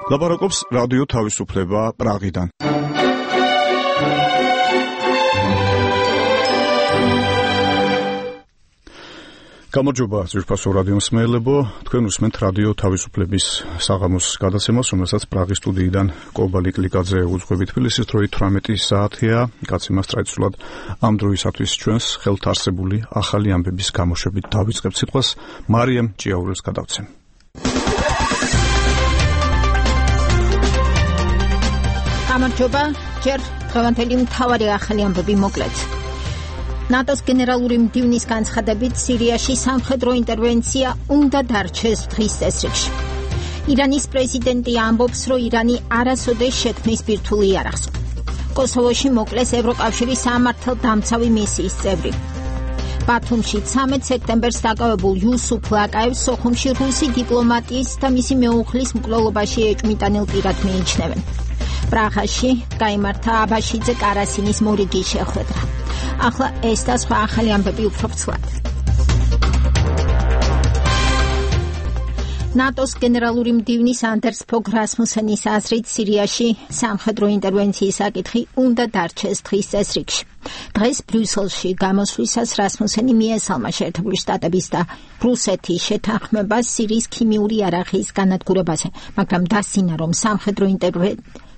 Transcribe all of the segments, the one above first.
ლაპარაკობს რადიო თავისუფლება პრაღიდან. გამარჯობა ძვირფასო რადიო მსმენელებო, თქვენ უსმენთ რადიო თავისუფლების საღამოს გადაცემას, რომელსაც პრაღის სტუდიიდან კობალი კლიკაძე უძღვებით. თბილისის დროით 18 საათია. გაცემას ტრადიციულად ამ დროისათვის ჩვენს ხელთ არსებული ახალი ამბების გამოშვებით დავიწყებთ სიტყვას მარიამ ჭიაურელს გადავცემ. გამარჯობა, ჯერ დღევანდელი მთავარი ახალი ამბები მოკლედ. ნატოს გენერალური მდივნის განცხადებით სირიაში სამხედრო ინტერვენცია უნდა დარჩეს დღის წესრიგში. ირანის პრეზიდენტი ამბობს, რომ ირანი არასოდეს შექმნის ბირთვულ იარაღს. კოსოვოში მოკლეს ევროკავშირის სამართალდამცავი მისიის წევრი. ბათუმში 13 სექტემბერს დაკავებულ იუსუფ ლაკაევს სოხუმში რუსი დიპლომატიის და მისი მეუღლის მკვლელობაში ეჭვმიტანილ პირად მიიჩნევენ. პრაღაში გაიმართა აბაშიძე კარასინის მორიგის შეხვედრა. ახლა ეს და სხვა ახალი ამბები უფრო ფრთად. ნატოს გენერალური მდივნის ანდერს ფოგ რასმუსენის აზრით სირიაში სამხედრო ინტერვენციის საკითხი უნდა დარჩეს დღის წესრიგში. დღეს ბრიუსელში გამოსვლისას რასმუსენი მიესალმა შეერთებული შტატების და რუსეთის შეთანხმებას სირიის ქიმიური იარაღის განადგურებაზე, მაგრამ დასძინა, რომ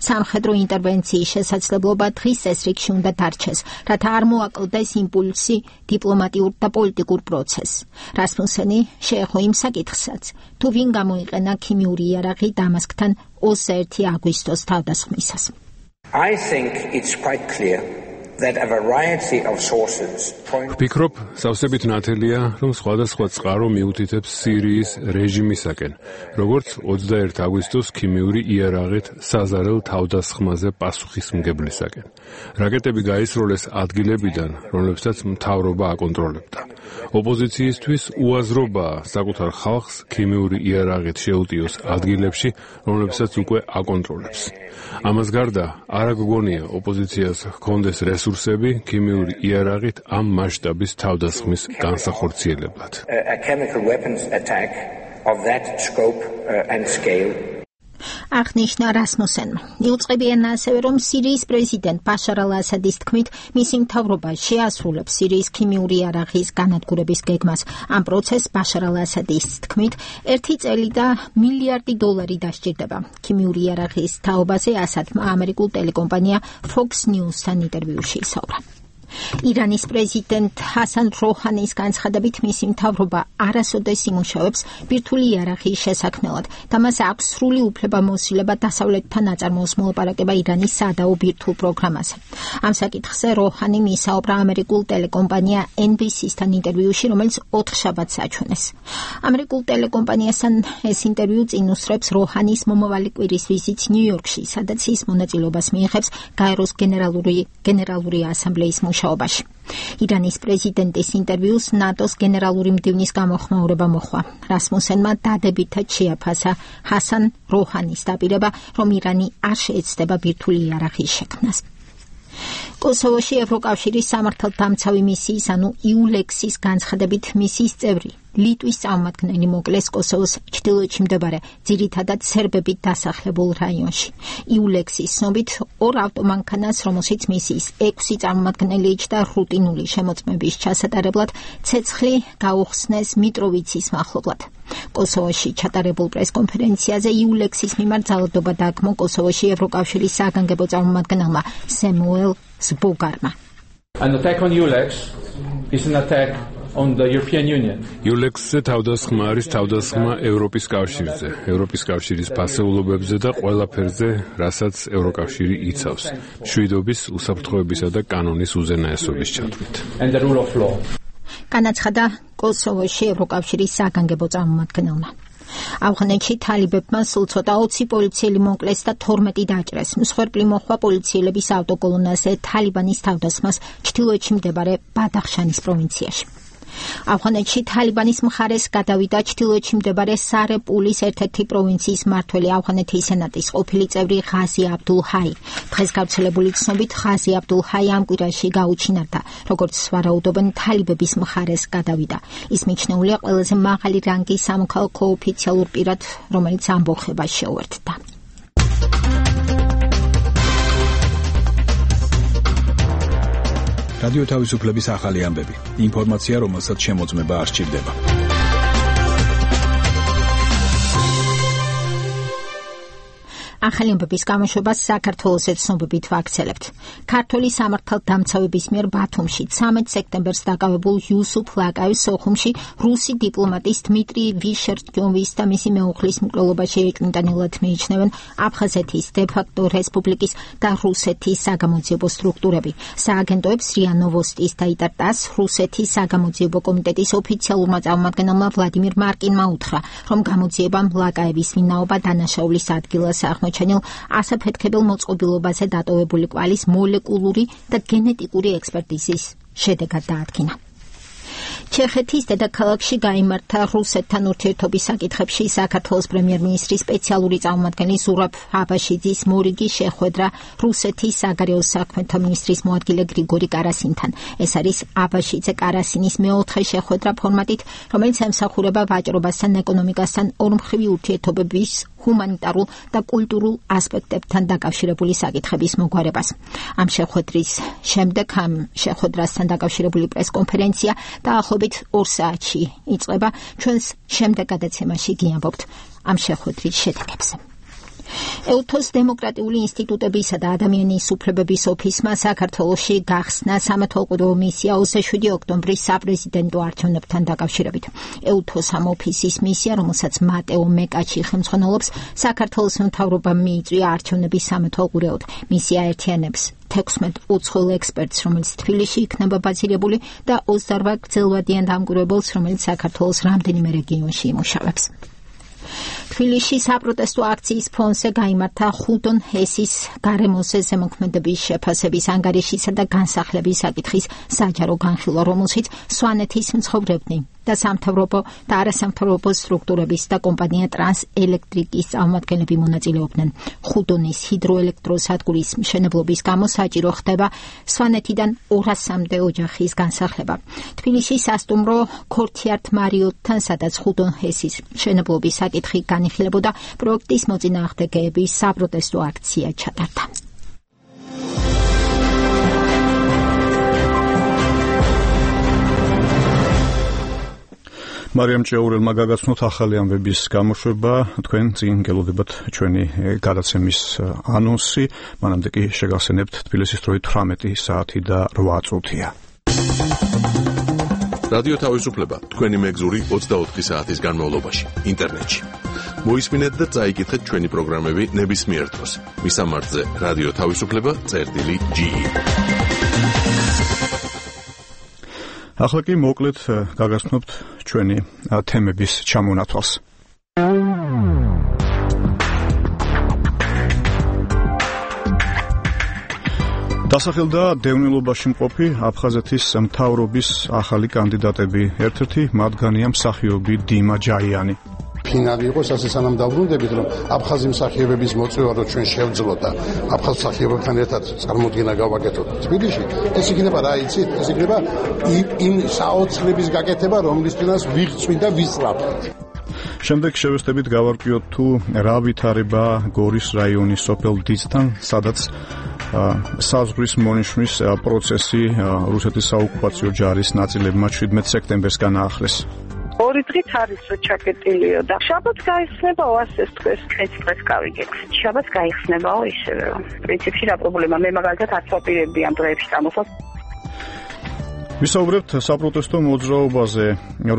სამხედრო ინტერვენციის შესაძლებლობა დღის წესრიგში უნდა დარჩეს, რათა არ მოაკლდეს იმპულსი დიპლომატიურ და პოლიტიკურ პროცესს. რასმუსენი შეეხო იმ საკითხსაც, თუ ვინ გამოიყენა ქიმიური იარაღი დამასკთან 21 აგვისტოს თავდასხმისას. I think it's quite clear that a variety of sources point. ვფიქრობ, სავსებით ნათელია, რომ სხვადასხვა წყარო მიუთითებს სირიის რეჟიმისაკენ, როგორც 21 აგვისტოს ქიმიური იარაღით საზარელ თავდასხმაზე პასუხისმგებლისაკენ. რაკეტები გაისროლეს ადგილებიდან, რომლებსაც მთავრობა აკონტროლებდა. ოპოზიციისთვის უაზრობაა საკუთარ ხალხს ქიმიური იარაღით შეუტიოს ადგილებში, რომლებსაც უკვე აკონტროლებს. ამას გარდა არ გგონია ოპოზიციას ჰქონდეს რესურსები ქიმიური იარაღით ამ მასშტაბის თავდასხმის განსახორციელებლად. A chemical weapons attack of that scope and scale. აღნიშნა რასმუსენმა. იუწყებიან ასევე, რომ სირიის პრეზიდენტ ბაშარ ალ-ასადის თქმით, მისი მთავრობა შეასრულებს სირიის ქიმიური იარაღის განადგურების გეგმას. ამ პროცესს ბაშარ ალ-ასადის თქმით, 1 წელი და $1 მილიარდი დასჭირდება. ქიმიური იარაღის თაობაზე ასადმა ამერიკულ ტელეკომპანია Fox News-თან ინტერვიუში ისაუბრა. ირანის პრეზიდენტ ჰასან როჰანის განცხადებით მისი მთავრობა არასოდეს იმუშავებს ბირთვული იარაღის შესაქმნელად და მას აქვს სრული უფლებამოსილება დასავლეთთან აწარმოოს მოლაპარაკება ირანის სადაო ბირთვულ პროგრამაზე. ამ საკითხზე როჰანი მისაუბრა ამერიკულ ტელეკომპანია NBC-სთან ინტერვიუში, რომელიც 4 შაბათს აჩვენეს. ამერიკულ ტელეკომპანიასთან ეს ინტერვიუ წინ უსწრებს როჰანის მომავალი კვირის ვიზიტს ნიუ-იორკში, სადაც ის მონაწილეობას მიიღებს გაეროს გენერალური ასამბლეის მუშაობაში. ირანის პრეზიდენტის ინტერვიუს ნატოს გენერალური მდივნის გამოხმაურება მოჰყვა. რასმუსენმა დადებითად შეაფასა ჰასან როჰანის დაპირება, რომ ირანი არ შეეცდება ბირთვული იარაღის შექმნას. კოსოვოში ევროკავშირის სამართალდამცავი მისიის, ანუ EULEX-ის განცხადებით მისიის წევრი ლიტვის წარმომადგენელი მოკლეს კოსოვოს ჩრდილოეთში მდებარე ძირითადად სერბებით დასახლებულ რაიონში. EULEX-ის ცნობით 2 ავტომანქანას, რომელშიც მისიის 6 წარმომადგენელი იჯდა რუტინული შემოწმების ჩასატარებლად, ცეცხლი გაუხსნეს მიტროვიცის მახლობლად. კოსოვოში ჩატარებულ პრესკონფერენციაზე EULEX-ის მიმართ ძალადობა დააგმო კოსოვოში ევროკავშირის საგანგებო წარმომადგენელმა სემუელ ზბოგარმა. An attack on EULEX is an attack on the European Union. EULEX-ზე თავდასხმა არის თავდასხმა ევროპის კავშირზე, ევროპის კავშირის ფასეულობებზე და ყველაფერზე, რასაც ევროკავშირი იცავს, მშვიდობის, უსაფრთხოებისა და კანონის უზენაესობის ჩათვლით. And the rule of law. განაცხადა კოსოვოში ევროკავშირის საგანგებო წარმომადგენელმა. ავღანეთში თალიბებმა სულ ცოტა 20 პოლიციელი მოკლეს და 12 დაჭრეს. მსხვერპლი მოჰყვა პოლიციელების ავტოკოლონაზე თალიბანის თავდასხმას ჩრდილოეთში მდებარე ბადახშანის პროვინციაში. ავღანეთში თალიბანის მხარეს გადავიდა ჩრდილოეთში მდებარე სარე-პულის ერთ-ერთი პროვინციის მმართველი ავღანეთის სენატის ყოფილი წევრი ღაზი აბდულ ჰაი. დღეს გავრცელებული ცნობით ღაზი აბდულ ჰაი ამ კვირაში გაუჩინარდა, როგორც ვარაუდობენ თალიბების მხარეს გადავიდა. ის მიჩნეულია ყველაზე მაღალი რანგის სამოქალაქო ოფიციალურ პირად, რომელიც ამბოხებას შეუერთდა. რადიო თავისუფლების ახალი ამბები. ინფორმაცია, რომელსაც შემოწმება არ სჭირდება. ახალი ამბების გამოშვებას საქართველოს ეთნობებით ვაქცელებთ. ქართული სამართალდამცავების მიერ ბათუმში 13 სექტემბერს დაკავებულ იუსუფ ლაკაევის სოხუმში რუსი დიპლომატის დმიტრი ვიშერტიოვის და მისი მეუღლის მკვლელობაში ეკნიტანილად მიიჩნევენ აფხაზეთის დე-ფაქტო რესპუბლიკის და რუსეთის საგამოძიებო სტრუქტურები. სააგენტოებს რია ნოვოსტის და იტარტას რუსეთის საგამოძიებო კომიტეტის ოფიციალურმა წარმომადგენელმა ვლადიმირ მარკინმა უთხრა, რომ გამოძიებამ ლაკაევის ვინაობა დანაშაულის ადგილას აღმოჩენილ ასაფეთქებელ მოწყობილობაზე დატოვებული კვალის მოლეკულური და გენეტიკური ექსპერტიზის შედეგად დაადგინა. ჩეხეთის დედაქალაქში გაიმართა რუსეთთან ურთიერთობის საკითხებში საქართველოს პრემიერ-მინისტრის სპეციალური წარმომადგენელი ზურაბ აბაშიძის მორიგი შეხვედრა რუსეთის საგარეო საქმეთა მინისტრის მოადგილე გრიგორი კარასინთან. ეს არის აბაშიძე კარასინის მეოთხე შეხვედრა ფორმატით, რომელიც ემსახურება ვაჭრობასთან, ეკონომიკასთან, ორმხრივი ურთიერთობების ჰუმანიტარულ და კულტურულ ასპექტებთან დაკავშირებული საკითხების მოგვარებას. ამ შეხვედრის შემდეგ ამ შეხვედრასთან დაკავშირებული პრესკონფერენცია დაახლოებით 2 საათში იწყება. ჩვენს შემდეგ გადაცემაში გიამბობთ ამ შეხვედრის შედეგებზე. ელთოს დემოკრატიული ინსტიტუტებისა და ადამიანის უფლებების ოფისმა საქართველოში გახსნა სამეთვალყურეო მისია 27 ოქტომბრის საპრეზიდენტო არჩევნებთან დაკავშირებით. ელთოს ამ ოფისის მისია, რომელსაც მატეო მეკაჩი ხელმძღვანელობს, საქართველოს მთავრობამ მიიწვია არჩევნების სამეთვალყურეოდ. მისია ერთიანებს 16 უცხოელ ექსპერტს, რომელიც თბილისში იქნება ბაზირებული და 28 გრძელვადიან დამკვირვებელს, რომელიც საქართველოს რამდენიმე რეგიონში იმუშავებს. თბილისში საპროტესტო აქციის ფონზე გაიმართა ხუდონ ჰესის გარემოზე ზემოქმედების შეფასების ანგარიშისა და განსახლების საკითხის საჯარო განხილვა, რომელშიც სვანეთის მცხოვრებნი და სამთავრობო და არასამთავრობო სტრუქტურების და კომპანია ტრანსელექტრიკის წარმომადგენლები მონაწილეობდნენ. ხუდონის ჰიდროელექტროსადგურის მშენებლობის გამო საჭირო ხდება სვანეთიდან 200-მდე ოჯახის განსახლება. თბილისში სასტუმრო ქორთიარტ მარიოტთან, სადაც ხუდონ ჰესის მშენებლობის საკითხი განიხილებოდა, პროექტის მოწინააღმდეგეების საპროტესტო აქცია ჩატარდა. მარიამ ჭეურელმა გაგაცნოთ ახალი ამბების გამოშვება. თქვენ წინ გელოდებათ ჩვენი გადაცემის ანონსი. მანამდე კი შეგახსენებთ თბილისის დროით 18 საათი და 8 წუთია. რადიო თავისუფლება თქვენი მეგზური 24 საათის განმავლობაში ინტერნეტში. მოისმინეთ და წაიკითხეთ ჩვენი პროგრამები ნებისმიერ დროს. მისამართზე რადიო თავისუფლება.ge. ახლა კი მოკლედ გაგაცნობთ ჩვენი თემების ჩამონათვალს. დასახელდა დევნილობაში მყოფი აფხაზეთის მთავრობის ახალი კანდიდატები. ერთ-ერთი მათგანია მსახიობი დიმა ჯაიანი. ფინალი იყოს ასე სანამ დავბრუნდებით, რომ აფხაზი მსახიობების მოწვევა რო ჩვენ შევძლოთ და აფხაზ მსახიობებთან ერთად წარმოდგენა გავაკეთოთ თბილისში, ეს იქნება რა იცით? ეს იქნება იმ საოცრების გაკეთება, რომლისთვისაც ვიღწვით და ვისწრაფვით. შემდეგ შევესწრებით გავარკვიოთ თუ რა ვითარება გორის რაიონის სოფელ დიცთან, სადაც საზღვრის მონიშნვის პროცესი რუსეთის საოკუპაციო ჯარის ნაწილებმა 17 სექტემბერს განაახლეს. 2 დღით არის ჩაკეტილიო და შაბათს გაიხსნებაო, ასეც თქვენ დღეს გავიგეთ. შაბათს გაიხსნებაო ისევე. პრინციპში რა პრობლემა, მე მაგალითად არ ვაპირებდი ამ დღეებში წამოსვლას. ვისაუბრებთ საპროტესტო მოძრაობაზე,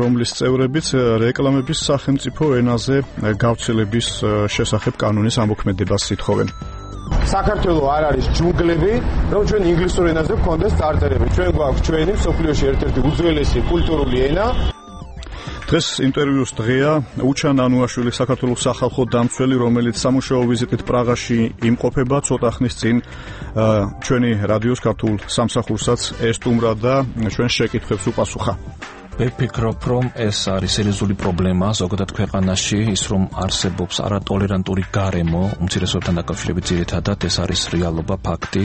რომლის წევრებიც რეკლამების სახელმწიფო ენაზე გავრცელების შესახებ კანონის ამოქმედებას ითხოვენ. საქართველო არ არის ჯუნგლები, რომ ჩვენ ინგლისურ ენაზე გვქონდეს წარწერები. ჩვენ გვაქვს ჩვენი მსოფლიოში ერთ-ერთი უძველესი კულტურული ენა. დღეს ინტერვიუს დღეა უჩან ანუაშვილი, საქართველოს სახალხო დამცველი, რომელიც სამუშაო ვიზიტით პრაღაში იმყოფება. ცოტა ხნის წინ ჩვენი რადიოს ქართულ სამსახურსაც ესტუმრა და ჩვენ შეკითხვებს უპასუხა. ვფიქრობ, რომ ეს არის სერიოზული პრობლემა ზოგადად ქვეყანაში, ის რომ არსებობს არატოლერანტული გარემო უმცირესობებთან დაკავშირებით, ძირითადად ეს არის რეალობა, ფაქტი.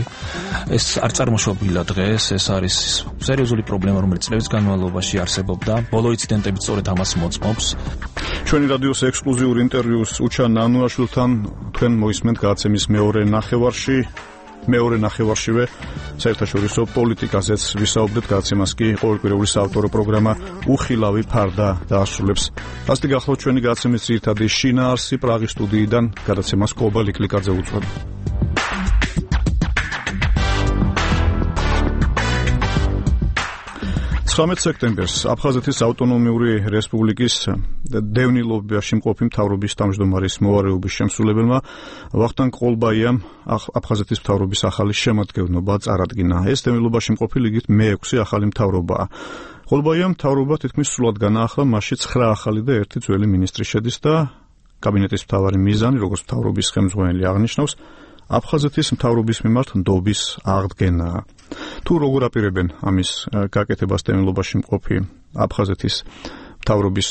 ეს არ წარმოშობილა დღეს, ეს არის სერიოზული პრობლემა, რომელიც წლების განმავლობაში არსებობდა. ბოლო ინციდენტები სწორედ ამას მოწმობს. ჩვენი რადიოს ექსკლუზიური ინტერვიუს უჩან ანუაშვილთან თქვენ მოისმენთ გადაცემის მეორე ნახევარში. მეორე ნახევარშივე საერთაშორისო პოლიტიკაზეც ვისაუბრეთ, გადაცემას კი ყოველკვირეული საავტორო პროგრამა უხილავი ფარდა დაასრულებს. ასეთი გახლავთ ჩვენი გადაცემის ძირითადი შინაარსი პრაღის სტუდიიდან, გადაცემას კობა ლიკლიკაძე უძღვება. 19 სექტემბერს აფხაზეთის ავტონომიური რესპუბლიკის დევნილობაში მყოფი მთავრობის თავმჯდომარის მოვალეობის შემსრულებელმა ვახტანგ ყოლბაიამ აფხაზეთის მთავრობის ახალი შემადგენლობა წარადგინა. ეს დევნილობაში მყოფი ლიგით მე-6 ახალი მთავრობაა. ყოლბაიამ მთავრობა თითქმის სრულად განაახლა, მასში 9 ახალი და 1 ძველი მინისტრი შედის და კაბინეტის მთავარი მიზანი, როგორც მთავრობის ხელმძღვანელი აღნიშნავს, აფხაზეთის მთავრობის მიმართ ნდობის აღდგენაა. თუ როგორ აპირებენ ამის გაკეთებას დევნილობაში მყოფი აფხაზეთის მთავრობის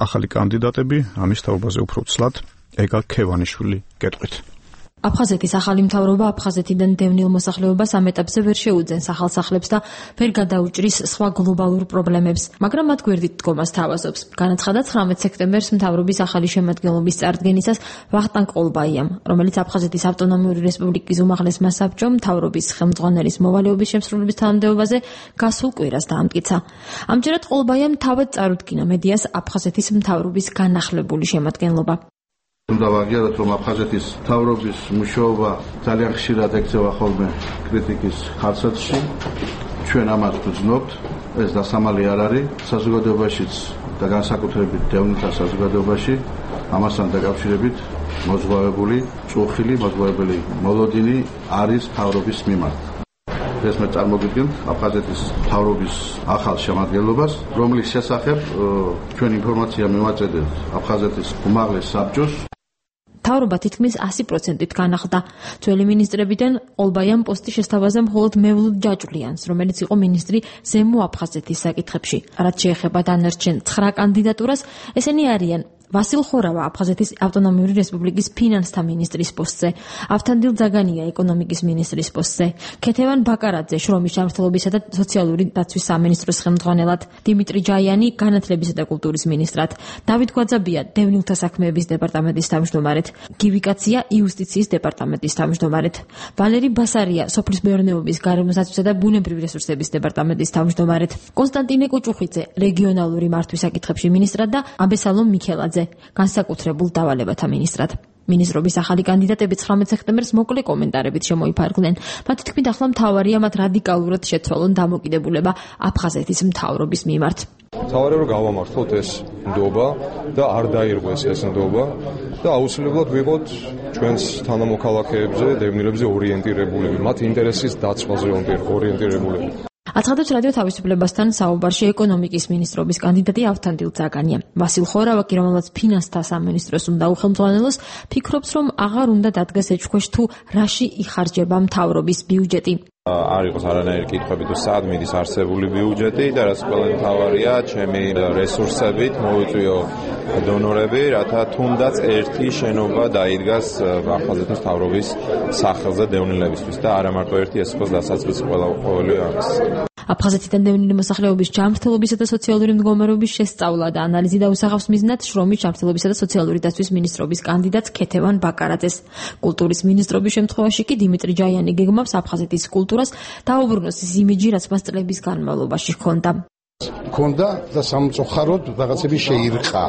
ახალი კანდიდატები, ამის თაობაზე უფრო ცლად ეგა ქევანიშვილი გეტყვით. აფხაზეთის ახალი მთავრობა აფხაზეთიდან დევნილ მოსახლეობას ამ ეტაპზე ვერ შეუძენს ახალსახლებს და ვერ გადაუჭრის სხვა გლობალურ პრობლემებს, მაგრამ მათ გვერდით დგომას თავაზობს. განაცხადა 19 სექტემბერს მთავრობის ახალი შემადგენლობის წარდგენისას ვახტანგ ყოლბაიამ, რომელიც აფხაზეთის ავტონომიური რესპუბლიკის უმაღლესმა საბჭომ მთავრობის ხელმძღვანელის მოვალეობის შემსრულების თანამდებობაზე გასულ კვირას დაამტკიცა. ამჯერად ყოლბაიამ თავად წარუდგინა მედიას აფხაზეთის მთავრობის განახლებული შემადგენლობა. უნდა ვაღიაროთ, რომ აფხაზეთის მთავრობის მუშაობა ძალიან ხშირად ექცევა ხოლმე კრიტიკის ხარცათში. ჩვენ ამას ვგრძნობთ, ეს დასამალი არ არის საზოგადოებაშიც და განსაკუთრებით დევნილთა საზოგადოებაში. ამასთან დაკავშირებით მოზღვავებული, წუხილი, მოზღვავებელი მოლოდინი არის მთავრობის მიმართ. ეს მე წარმოგიდგენთ აფხაზეთის მთავრობის ახალ შემადგენლობას, რომლის შესახებ ჩვენ ინფორმაცია მივაწედეთ აფხაზეთის უმაღლეს საბჭოს. მთავრობა თითქმის 100%-ით განახლდა. ძველი მინისტრებიდან ყოლბაიამ პოსტი შესთავაზა მხოლოდ მევლუდ ჯაჭვლიანს, რომელიც იყო მინისტრი ზემო აფხაზეთის საკითხებში. რაც შეეხება დანარჩენ 9 კანდიდატურას, ესენი არიან ვასილ ხორავა აფხაზეთის ავტონომიური რესპუბლიკის ფინანსთა მინისტრის პოსტზე, ავთანდილ ძაგანია ეკონომიკის მინისტრის პოსტზე, ქეთევან ბაკარაძე შრომის ჯანმრთელობისა და სოციალური დაცვის სამინისტროს ხელმძღვანელად, დიმიტრი ჯაიანი განათლებისა და კულტურის მინისტრად, დავით გვაძაბია დევნილთა საქმეების დეპარტამენტის თავმჯდომარედ, გივი კაცია იუსტიციის დეპარტამენტის თავმჯდომარედ, ვალერი ბასარია სოფლის მეურნეობის, გარემოსაცვისა და ბუნებრივი რესურსების დეპარტამენტის თავმჯდომარედ, კონსტანტინე კუჭუხიძე რეგიონალური მართვის საკითხებში მინისტრად და აბესალომ მიქელაძე განსაკუთრებულ დავალებათა მინისტრად. მინისტრობის ახალი კანდიდატები 19 სექტემბერს მოკლე კომენტარებით შემოიფარგლნენ. მათ თქმით, ახლა მთავარია მათ რადიკალურად შეცვალონ დამოკიდებულება აფხაზეთის მთავრობის მიმართ. მთავარია რომ გავამართლოთ ეს ნდობა და არ დაირღვეს ეს ნდობა და აუცილებლად ვიყოთ ჩვენს თანამოქალაქეებზე, დევნილებზე ორიენტირებულები, მათ ინტერესის დაცვაზე ორიენტირებულები. აცხადებს რადიო თავისუფლებასთან საუბარში ეკონომიკის მინისტრობის კანდიდატი ავთანდილ ძაგანია. ვასილ ხორავა კი, რომელსაც ფინანსთა სამინისტროს უნდა უხელმძღვანელოს, ფიქრობს, რომ აღარ უნდა დადგეს ეჭქვეშ თუ რაში იხარჯება მთავრობის ბიუჯეტი. არ იყოს არანაირი კითხვები თუ სად მიდის არსებული ბიუჯეტი და რაც ყველა მთავარია ჩემი რესურსებით მოვიწვიო დონორები, რათა თუნდაც ერთი შენობა დაიდგას აფხაზეთის მთავრობის სახელზე დევნილებისთვის და არა მარტო ერთი, ეს იყოს დასაწყისი ყოველი ამის. აფხაზეთიდან დევნილი მოსახლეობის ჯანმრთელობისა და სოციალური მდგომარეობის შესწავლა და ანალიზი დაუსახავს მიზნად შრომის ჯანმრთელობისა და სოციალური დაცვის მინისტრობის კანდიდატს ქეთევან ბაკარაძეს. კულტურის მინისტრობის შემთხვევაში კი დიმიტრი ჯაიანი გეგმავს აფხაზეთის კულტურას დაუბრუნოს ის იმიჯი, რაც მას წლების განმავლობაში ჰქონდა. ქონდა და სამწუხაროდ რაღაცები შეირყა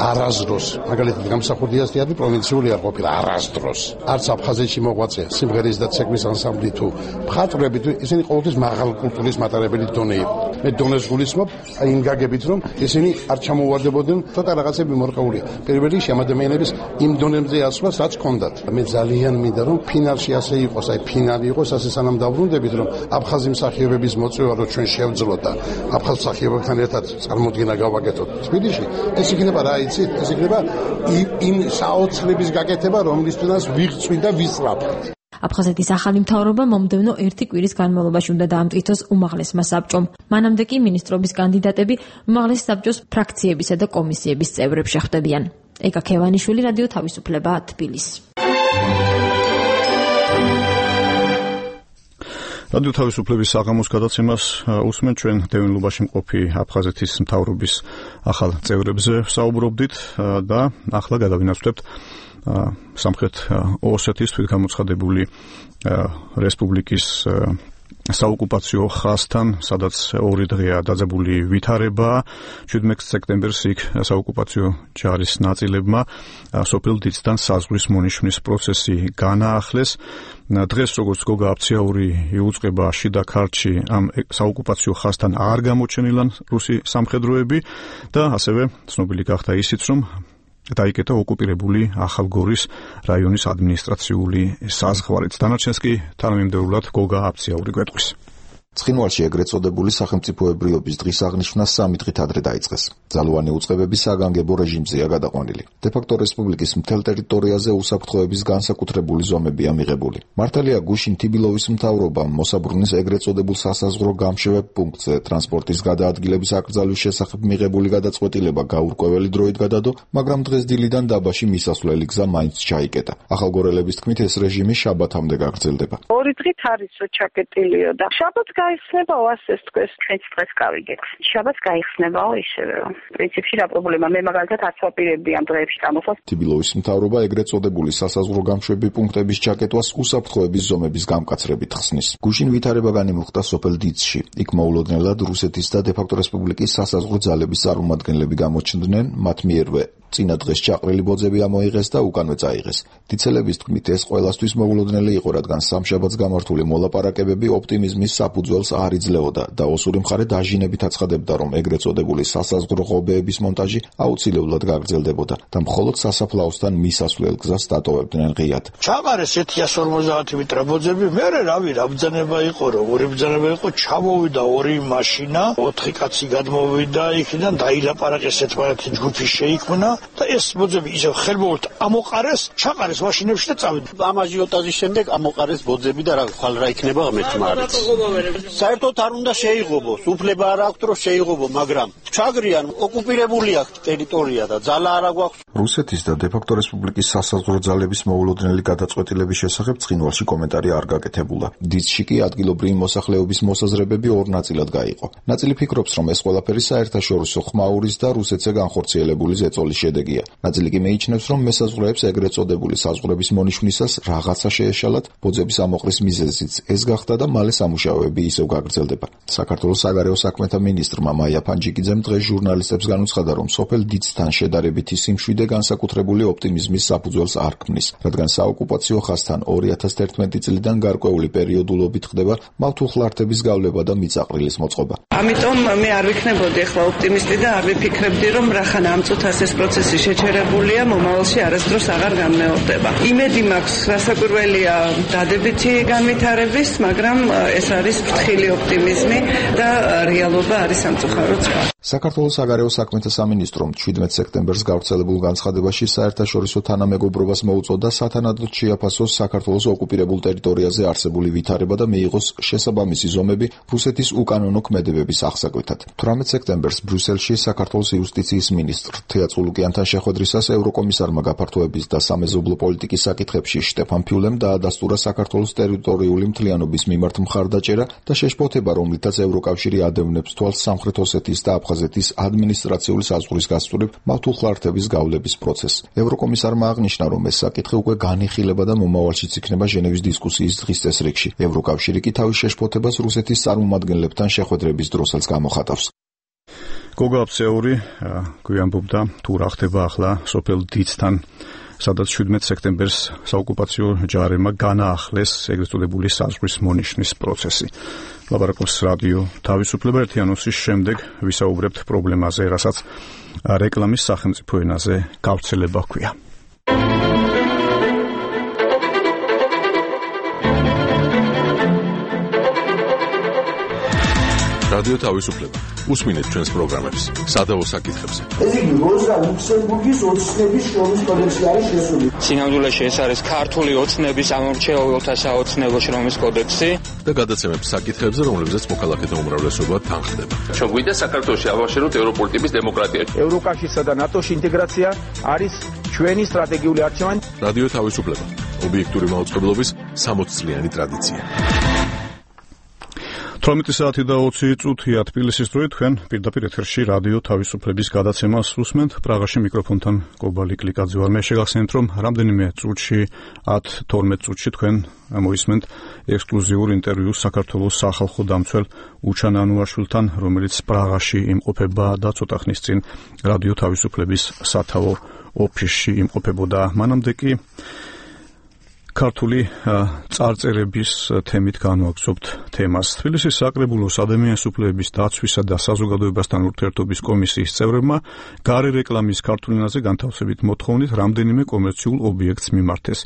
არასდროს, მაგალითად გამსახურდიასტიანი პროვინციული არ ყოფილა არასდროს. არც აფხაზეთში მოღვაწე სიმღერის და ცეკვის ანსამბლი თუ მხატვრები, ისინი ყოველთვის მაღალ კულტურის მატარებელი დონე იყო. მე დონეს გულისხმობ იმ გაგებით, რომ ისინი არ ჩამოვარდებოდნენ, ცოტა რაღაცები მორყეულია. პირველი ამ ადამიანების იმ დონემზე ასვლას, რაც ჰქონდათ. მე ძალიან მინდა რომ ფინალში ასე იყოს, ფინალი იყოს, ასე სანამ დავბრუნდებით, რომ აფხაზი მსახიობების მოწვევა რო ჩვენ შევძლოთ და აფხაზ მსახიობებთან ერთად წარმოდგენა გავაკეთოთ თბილისში, ეს იქნება რა იცით, ეს იქნება იმ საოცრების გაკეთება, რომლისთვისაც ვიღწვით და ვისწრაფვით. აფხაზეთის ახალი მთავრობა მომდევნო 1 კვირის განმავლობაში უნდა დაამტკიცოს უმაღლესმა საბჭომ. მანამდე კი მინისტრობის კანდიდატები უმაღლეს საბჭოს ფრაქციებისა და კომისიების წევრები შეხვდებიან. ეკა ქევანიშვილი, რადიო თავისუფლება, თბილისი. რადიო თავისუფლების საღამოს გადაცემას უსმენ ჩვენ დევნილობაში მყოფი აფხაზეთის მთავრობის ახალ წევრებზე საუბრობდით და ახლა გადავინაცვლებთ სამხრეთ ოსეთის თვითგამოცხადებული რესპუბლიკის საოკუპაციო ხაზთან, სადაც 2 დღეა დაძაბული ვითარება. 17 სექტემბერს იქ საოკუპაციო ჯარის ნაწილებმა სოფელ დიცთან საზღვრის მონიშნის პროცესი განაახლეს. დღეს როგორც გოგა აფციაური იუწყება შიდა ქართლში ამ საოკუპაციო ხაზთან არ გამოჩენილან რუსი სამხედროები და ასევე ცნობილი გახდა ისიც, რომ დაიკეთა ოკუპირებული ახალგორის რაიონის ადმინისტრაციული საზღვარიც. დანარჩენს კი თანამიმდევრულად გოგა აფციაური გვეტყვის. ცხინვალში ეგრეთ წოდებული სახელმწიფოებრიობის დღის აღნიშვნა 3 დღით ადრე დაიწყეს. ძალოვანი უწყებები საგანგებო რეჟიმზეა გადაყვანილი. დე-ფაქტო რესპუბლიკის მთელ ტერიტორიაზე უსაფრთხოების განსაკუთრებული ზომებია მიღებული. მართალია გუშინ თიბილოვის მთავრობამ მოსაბრუნის ეგრეთ წოდებულ სასაზღვრო გამშვებ პუნქტზე ტრანსპორტის გადაადგილების აკრძალვის შესახებ მიღებული გადაწყვეტილება გაურკვეველი დროით გადადო, მაგრამ დღეს დილიდან დაბაში მისასვლელი გზა მაინც ჩაიკეტა. ახალგორელების თქმით ეს რეჟიმი შაბათამდე გაგრძელდება. 2 დღით არის ჩაკეტილიო და შაბათს გაიხსნებაო, ასეც თქვენ დღეს გავიგეთ. შაბათს გაიხსნებაო ისევე. პრინციპში რა პრობლემა, მე მაგალითად არც ვაპირებდი ამ დღეებში წამოსვლას. თიბილოვის მთავრობა ეგრეთ წოდებული სასაზღვრო გამშვები პუნქტების ჩაკეტვას უსაფრთხოების ზომების გამკაცრებით ხსნის. გუშინ ვითარება განიმუხტა სოფელ დიცში. იქ მოულოდნელად რუსეთის და დე-ფაქტო რესპუბლიკის სასაზღვრო ძალების წარმომადგენლები გამოჩნდნენ, მათ მიერვე წინა დღეს ჩაყრილი ბოძები ამოიღეს და უკანვე წაიღეს. დიცელების თქმით ეს ყველასთვის მოულოდნელი იყო, რადგან სამშაბათს გამართული მოლაპარაკებები ოპტიმიზმის საფუძველს არ იძლეოდა და ოსური მხარე დაჟინებით აცხადებდა, რომ ეგრეთ წოდებული სასაზღვრო ღობეების მონტაჟი აუცილებლად გაგრძელდებოდა და მხოლოდ სასაფლაოსთან მისასვლელ გზას დატოვებდნენ ღიად. ჩაყარეს 150 მეტრ ბოძები, მერე რავი, რა ბრძანება იყო, როგორი ბრძანება იყო, ჩამოვიდა 2 მაშინა, 4 კაცი გადმოვიდა იქიდან, დაილაპარაკეს ერთმანეთი ჯგუფი შეიქმნა და ეს ბოძები ისევ ხელმოუხლეთ ამოყარეს, ჩაყარეს მაშინებში და წავიდა. ამ აჟიოტაჟის შემდეგ ამოყარეს ბოძები და რა ხვალ რა იქნება ღმერთმა არის. საერთოდ არ უნდა შეიღობოს, უფლება არ აქვს რომ შეიღობო, მაგრამ ჩაგრიან, ოკუპირებული აქვს ტერიტორია და ძალა არ აქვს. რუსეთის და დე-ფაქტო რესპუბლიკის სასაზღვრო ძალების მოულოდნელი გადაწყვეტილების შესახებ ცხინვალში კომენტარი არ გაკეთებულა. დიცში კი ადგილობრივი მოსახლეობის მოსაზრებები 2 ნაწილად გაიყო. ნაწილი ფიქრობს, რომ ეს ყველაფერი საერთაშორისო ხმაურის და რუსეთზე განხორციელებული ზეწოლის შედეგია. ნაწილი კი მეიჩნევს, რომ მესაზღვრეებს ეგრეთ წოდებული საზღვრების მონიშნისას რაღაცა შეეშალათ, ბოძების ამოყრის მიზეზიც ეს გახდა და მალე სამუშაოები ისევ გაგრძელდება. საქართველოს საგარეო საქმეთა მინისტრმა მაია ფანჯიკიძემ დღეს ჟურნალისტებს განუცხადა, რომ სოფელ დიცთან შედარებითი სიმშვიდე განსაკუთრებული ოპტიმიზმის საფუძველს არ ქმნის, რადგან საოკუპაციო ხაზთან 2011 წლიდან გარკვეული პერიოდულობით ხდება მავთულხლართების გავლება და მიწაყრილის მოწყობა. ამიტომ მე არ ვიქნებოდი ახლა ოპტიმისტი და არ ვიფიქრებდი, რომ რახან ამ წუთას ეს პროცესი შეჩერებულია, მომავალში არასდროს აღარ განმეორდება. იმედი მაქვს, რასაკვირველია დადებითი განვითარების, მაგრამ ეს არის ფრთხილი ოპტიმიზმი და რეალობა არის სამწუხაროდ სხვა. საქართველოს საგარეო საქმეთა სამინისტრომ 17 სექტემბერს გავრცელებულ განცხადებაში საერთაშორისო თანამეგობრობას მოუწოდა სათანადოდ შეაფასოს საქართველოს ოკუპირებულ ტერიტორიაზე არსებული ვითარება და მიიღოს შესაბამისი ზომები რუსეთის უკანონო ქმედებების აღსაკვეთად. 18 სექტემბერს ბრიუსელში საქართველოს იუსტიციის მინისტრ თეა წულუკიანთან შეხვედრისას ევროკომისარმა გაფართოების და სამეზობლო პოლიტიკის საკითხებში შტეფან ფიულემ დაადასტურა საქართველოს ტერიტორიული მთლიანობის მიმართ მხარდაჭერა და შეშფოთება, რომლითაც ევროკავშირი ადევნებს თვალს სამხრეთ ოსეთის და აფხაზეთის ადმინისტრაციული საზღვრის გასწვრივ მავთულხლართების გავლების პროცესს. ევროკომისარმა აღნიშნა, რომ ეს საკითხი უკვე განიხილება და მომავალშიც იქნება ჟენევის დისკუსიის დღის წესრიგში. ევროკავშირი კი თავის შეშფოთებას რუსეთის წარმომადგენლებთან შეხვედრების დროსაც გამოხატავს. გოგა აფციაური გვიამბობდა თუ რა ხდება ახლა სოფელ დიცთან, სადაც 17 სექტემბერს საოკუპაციო ჯარებმა განაახლეს ეგრეთ წოდებული საზღვრის მონიშნის პროცესი. ლაბარაკობს რადიო თავისუფლება. ერთი ანონსის შემდეგ ვისაუბრებთ პრობლემაზე, რასაც რეკლამის სახელმწიფო ენაზე გავრცელება ჰქვია. რადიო თავისუფლება. უსმინეთ ჩვენს პროგრამებს სადავო საკითხებზე. ეს იგი როზა ლუქსემბურგის ოცნების შრომის კოდექსი არის შესული. სინამდვილეში ეს არის ქართული ოცნების ამორჩეულთა საოცნებო შრომის კოდექსი და გადაცემებს საკითხებზე, რომლებზეც მოქალაქეთა უმრავლესობა თანხდება. ჩვენ გვინდა საქართველოში ავაშეროთ ევროპული ტიპის დემოკრატია. ევროკავშირსა და ნატოში ინტეგრაცია არის ჩვენი სტრატეგიული არჩევანი. რადიო თავისუფლება. ობიექტური მაუწყებლობის 60 წლიანი ტრადიცია. 18 საათი და 20 წუთია თბილისის დროით თქვენ პირდაპირ ეთერში რადიო თავისუფლების გადაცემას უსმენთ. პრაღაში მიკროფონთან კობალი კლიკაძე ვარ. მე შეგახსენებთ, რომ რამდენიმე წუთში 10-12 წუთში თქვენ მოისმენთ ექსკლუზიურ ინტერვიუს საქართველოს სახალხო დამცველ უჩან ანუაშვილთან, რომელიც პრაღაში იმყოფება და ცოტა ხნის წინ რადიო თავისუფლების სათავო ოფისში იმყოფებოდა. მანამდე კი ქართული წარწერების თემით განვაგრძობთ თემას. თბილისის საკრებულოს ადამიანის უფლებების დაცვისა და საზოგადოებასთან ურთიერთობის კომისიის წევრებმა გარე რეკლამის ქართულ ენაზე განთავსებით მოთხოვნით რამდენიმე კომერციულ ობიექტს მიმართეს.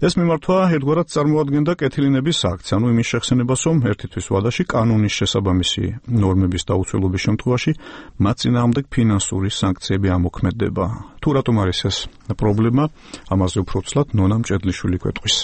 ეს მიმართვა ერთგვარად წარმოადგენდა კეთილინების აქცია, ანუ იმის შეხსენებას, რომ ერთი თვის ვადაში კანონის შესაბამისი ნორმების დაუცველობის შემთხვევაში მათ წინააღმდეგ ფინანსური სანქციები ამოქმედდება. თუ რატომ არის ეს პრობლემა, ამაზე უფრო ცლად ნონა მჭედლიშვილი გვეტყვის.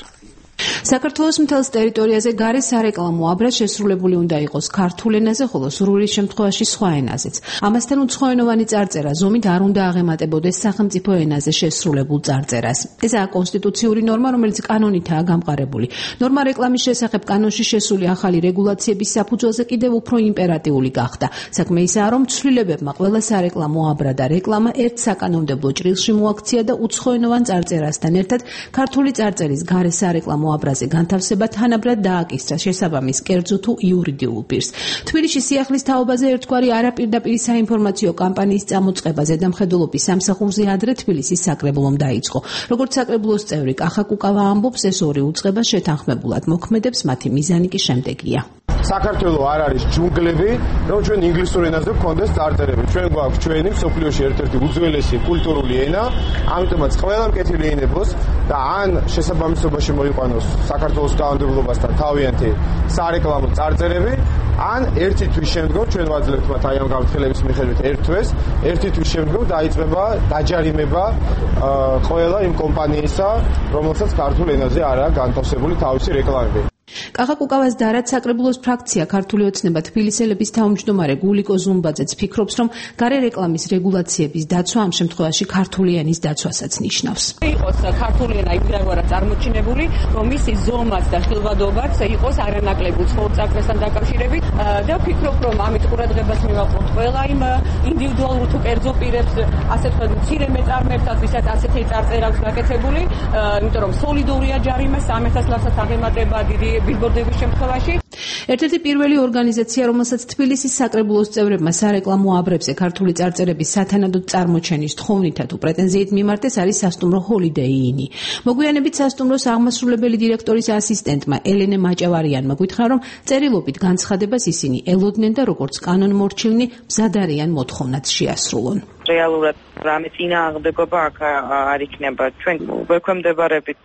საქართველოს მთელს ტერიტორიაზე გარე სარეკლამო აბრა შესრულებული უნდა იყოს ქართულ ენაზე, ხოლო სურვილის შემთხვევაში სხვა ენაზეც. ამასთან უცხოენოვანი წარწერა ზომით არ უნდა აღემატებოდეს სახელმწიფო ენაზე შესრულებულ წარწერას. ესაა კონსტიტუციური ნორმა, რომელიც კანონითაა გამყარებული. ნორმა რეკლამის შესახებ კანონში შესული ახალი რეგულაციების საფუძველზე კიდევ უფრო იმპერატიული გახდა. საქმე ისაა, რომ ცვლილებებმა ყველა სარეკლამო აბრა და რეკლამა ერთ საკანონმდებლო ჭრილში მოაქცია და უცხოენოვან წარწერასთან ერთად ქართული წარწერის გარე სარეკლამო აბრაზე განთავსება თანაბრად დააკისრა შესაბამის კერძო თუ იურიდიულ პირს. თბილისში სიახლის თაობაზე ერთგვარი არაპირდაპირი საინფორმაციო კამპანიის წამოწყება ზედამხედველობის სამსახურზე ადრე თბილისის საკრებულომ დაიწყო. როგორც საკრებულოს წევრი კახა კუკავა ამბობს, ეს ორი უწყება შეთანხმებულად მოქმედებს, მათი მიზანი კი შემდეგია. საქართველო არ არის ჯუნგლები, რომ ჩვენ ინგლისურ ენაზე გქონდეს წარწერები. ჩვენ გვაქვს ჩვენი მსოფლიოში ერთ-ერთი უძველესი კულტურული ენა, ამიტომაც ყველამ კეთილი ენებოს და ან შესაბამისობაში მოიყვანოს საქართველოს კანონმდებლობასთან თავიანთი სარეკლამო წარწერები, ან ერთი თვის შემდგომ ჩვენ ვაძლევთ მათ აი ამ განხილების მიხედვით ერთ თვეს, ერთი თვის შემდგომ დაიწყება დაჯარიმება ყველა იმ კომპანიისა, რომელსაც ქართულ ენაზე არაა განთავსებული თავისი რეკლამები. კახა კუკავას და რაც საკრებულოს ფრაქცია ქართული ოცნება თბილისელების თავმჯდომარე გულიკო ზუმბაძეც ფიქრობს, რომ გარე რეკლამის რეგულაციების დაცვა ამ შემთხვევაში ქართული ენის დაცვასაც ნიშნავს. იყოს ქართული ენა იმდენად წარმოჩინებული, რომ მისი ზომაც და ხილვადობაც იყოს არანაკლები უცხოურ წარწერასთან დაკავშირებით და ვფიქრობ, რომ ამით ყურადღებას მივაყენოთ ყველა იმ ინდივიდუალურ თუ კერძო პირებს, ასე თქვა მცირე მეწარმეებსაც, ვისაც ასეთი წარწერა აქვს გაკეთებული, იმიტომ რომ სოლიდურია ჯარიმა 300 ლარსაც აღემატება დიდი ბილბორდების შემთხვევაში. ერთ-ერთი პირველი ორგანიზაცია, რომელსაც თბილისის საკრებულოს წევრებმა სარეკლამო აბრებზე ქართული წარწერების სათანადოდ წარმოჩენის თხოვნითა თუ პრეტენზიით მიმართეს, არის სასტუმრო Holiday Inn. მოგვიანებით სასტუმროს აღმასრულებელი დირექტორის ასისტენტმა ელენე მაჭავარიანმა გითხრა, რომ წერილობით განცხადებას ისინი ელოდნენ და როგორც კანონმორჩილნი მზად არიან მოთხოვნაც შეასრულონ. რეალურად რამე წინააღმდეგობა აქ არ იქნება. ჩვენ ვექვემდებარებით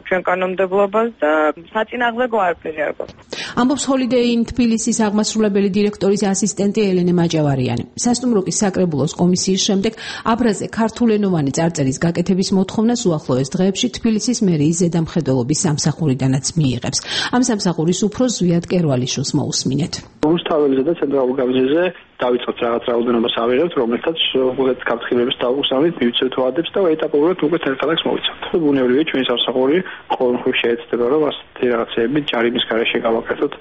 ჩვენ კანონმდებლობას და საწინააღმდეგო არაფერი არ გვაქვს. ამბობს Holiday Inn თბილისის აღმასრულებელი დირექტორის ასისტენტი ელენე მაჭავარიანი. სასტუმრო კი საკრებულოს კომისიის შემდეგ აბრაზე ქართულენოვანი წარწერის გაკეთების მოთხოვნას უახლოეს დღეებში თბილისის მერიის ზედამხედველობის სამსახურიდანაც მიიღებს. ამ სამსახურის უფროს ზვიად კერვალიშვილს მოусმინეთ. რუსთაველზე და ცენტრალურ გამზირზე დავიწყოთ რაღაც რაოდენობას ავიღებთ, რომელთაც უბრალოდ გაფრთხილების დავუსავით, მივიცეთ ვადებს და ეტაპობრივად უკვე თელქალაქს მოვიცავთ. ბუნებრივია ჩვენი სამსახური ყოველთვის შეეცდება, რომ ასეთი რაღაცები ჯარიმის გარეშე გავაკეთოთ.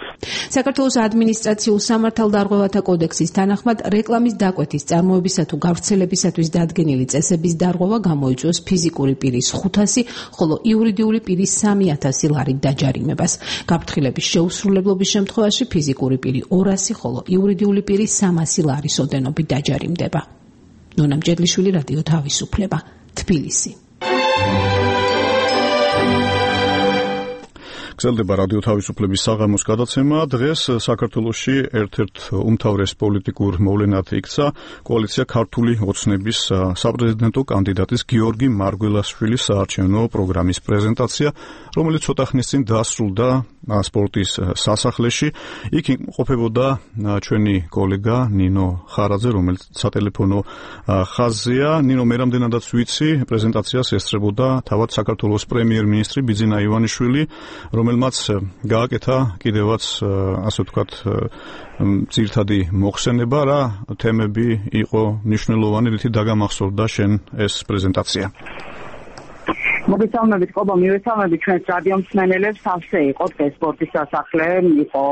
საქართველოს ადმინისტრაციულ სამართალდარღვევათა კოდექსის თანახმად რეკლამის დაკვეთის წარმოებისა თუ გავრცელებისათვის დადგენილი წესების დარღვევა გამოიწვევს ფიზიკური პირის 500, ხოლო იურიდიული პირის 3000 ლარით დაჯარიმებას. გაფრთხილების შეუსრულებლობის შემთხვევაში ფიზიკური პირი 200, ხოლო იურიდიული პირი 300 ლარის ოდენობით დაჯარიმდება. ნონა მჭედლიშვილი, რადიო თავისუფლება, თბილისი. გრძელდება რადიო თავისუფლების საღამოს გადაცემა. დღეს საქართველოში ერთ-ერთ უმთავრეს პოლიტიკურ მოვლენად იქცა კოალიცია ქართული ოცნების საპრეზიდენტო კანდიდატის გიორგი მარგველაშვილის საარჩევნო პროგრამის პრეზენტაცია, რომელიც ცოტა ხნის წინ დასრულდა სპორტის სასახლეში. იქ იმყოფებოდა ჩვენი კოლეგა ნინო ხარაძე, რომელიც სატელეფონო ხაზზეა. ნინო, მე რამდენადაც ვიცი, პრეზენტაციას ესწრებოდა თავად საქართველოს პრემიერ-მინისტრი ბიძინა ივანიშვილი, რომელმაც გააკეთა კიდევაც ასე ვთქვათ ძირითადი მოხსენება, რა თემები იყო მნიშვნელოვანი, რითი დაგამახსოვრდა შენ ეს პრეზენტაცია? მოგესალმებით, ყობა, მივესალმებით ჩვენს რადიო მსმენელებს. სავსე იყო დღეს სპორტის სასახლე, იყო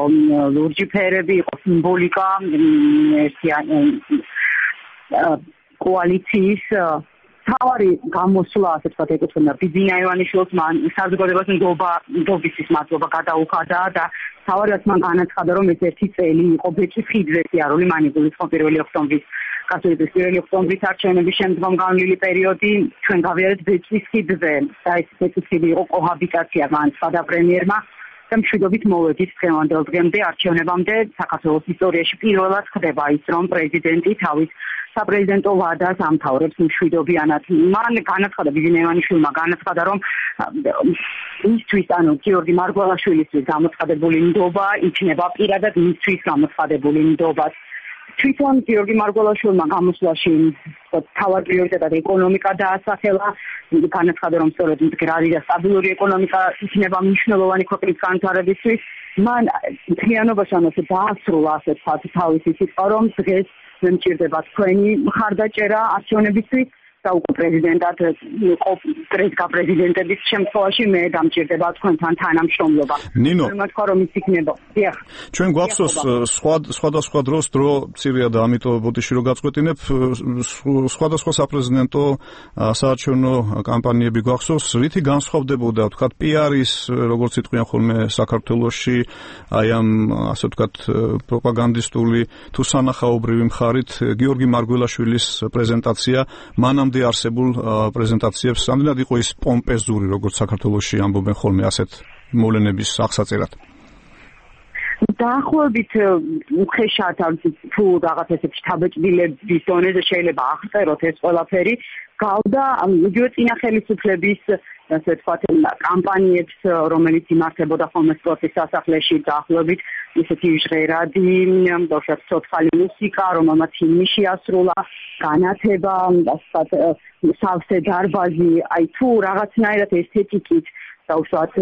ლურჯი ფერები, იყო სიმბოლიკა, კოალიციის თავარი გამოსვლა, ასე ვთქვათ, ეკუთვნა ბიძინა ივანიშვილს, მან საზოგადოებას ნდობისთვის მადლობა გადაუხადა და თავარი რაც მან განაცხადა, რომ ეს ერთი წელი იყო ბეჭის ხიდზე სიარული, მან იგულისხმო 1 ოქტომბრის კასულის 1 ოქტომბრის არჩევნების შემდგომ განვლილი პერიოდი ჩვენ გავიარეთ ბეჭის ხიდზე და ეს ბეჭის ხიდი იყო კოჰაბიტაცია განაცხადა პრემიერმა და მშვიდობით მოვედით დღევანდელ დღემდე არჩევნებამდე საქართველოს ისტორიაში პირველად ხდება ის რომ პრეზიდენტი თავის საპრეზიდენტო ვადას ამთავრებს მშვიდობიანად. მან განაცხადა ბიძინა ივანიშვილმა განაცხადა რომ მისთვის ანუ გიორგი მარგველაშვილისთვის გამოცხადებული ნდობა იქნება პირადად მისთვის გამოცხადებული ნდობა. თვითონ გიორგი მარგველაშვილმა გამოსვლაში თავად პრიორიტეტად ეკონომიკა დაასახელა, განაცხადა რომ სწორედ მდგრადი და სტაბილური ეკონომიკა იქნება მნიშვნელოვანი ქვეყნის განვითარებისთვის. მან მთლიანობაში ამაზე დაასრულა ასე ვთქვათ თავისი სიტყვა რომ დღეს მე მჭირდება თქვენი მხარდაჭერა არჩევნებისთვის და უკვე პრეზიდენტად დღეს გაპრეზიდენტების შემთხვევაში მე დამჭირდება თქვენთან თანამშრომლობა. ნინო, თქვა რომ ის იქნება. დიახ. ჩვენ გვახსოვს სხვადასხვა დროს დრო მცირეა და ამიტომ ბოდიში რო გაწყვეტინებ სხვადასხვა საპრეზიდენტო საარჩევნო კამპანიები გვახსოვს, რითი განსხვავდებოდა ვთქვათ PR-ის როგორც იტყვიან ხოლმე საქართველოში აი ამ ასე ვთქვათ პროპაგანდისტული თუ სანახაობრივი მხარით გიორგი მარგველაშვილის პრეზენტაცია მანამდე არსებულ პრეზენტაციებს ამდენად იყო ის პომპეზური როგორც საქართველოში ამბობენ ხოლმე ასეთ მოვლენების აღსაწერად. დაახლოებით უხეშად თუ რაღაც ესეთი შთაბეჭდილების დონეზე შეიძლება აღწეროთ ეს ყველაფერი გავდა იგივე წინა ხელისუფლების ასე ვთქვათ კამპანიებს რომელიც იმართებოდა ხოლმე სპორტის სასახლეში დაახლოებით ისეთი ჟღერადი ბავშვებს ცოცხალი მუსიკა რომელმაც ჰიმნი შეასრულა განათება ასე სავსე დარბაზი აი თუ რაღაცნაირად ესთეტიკით და უშუალოდ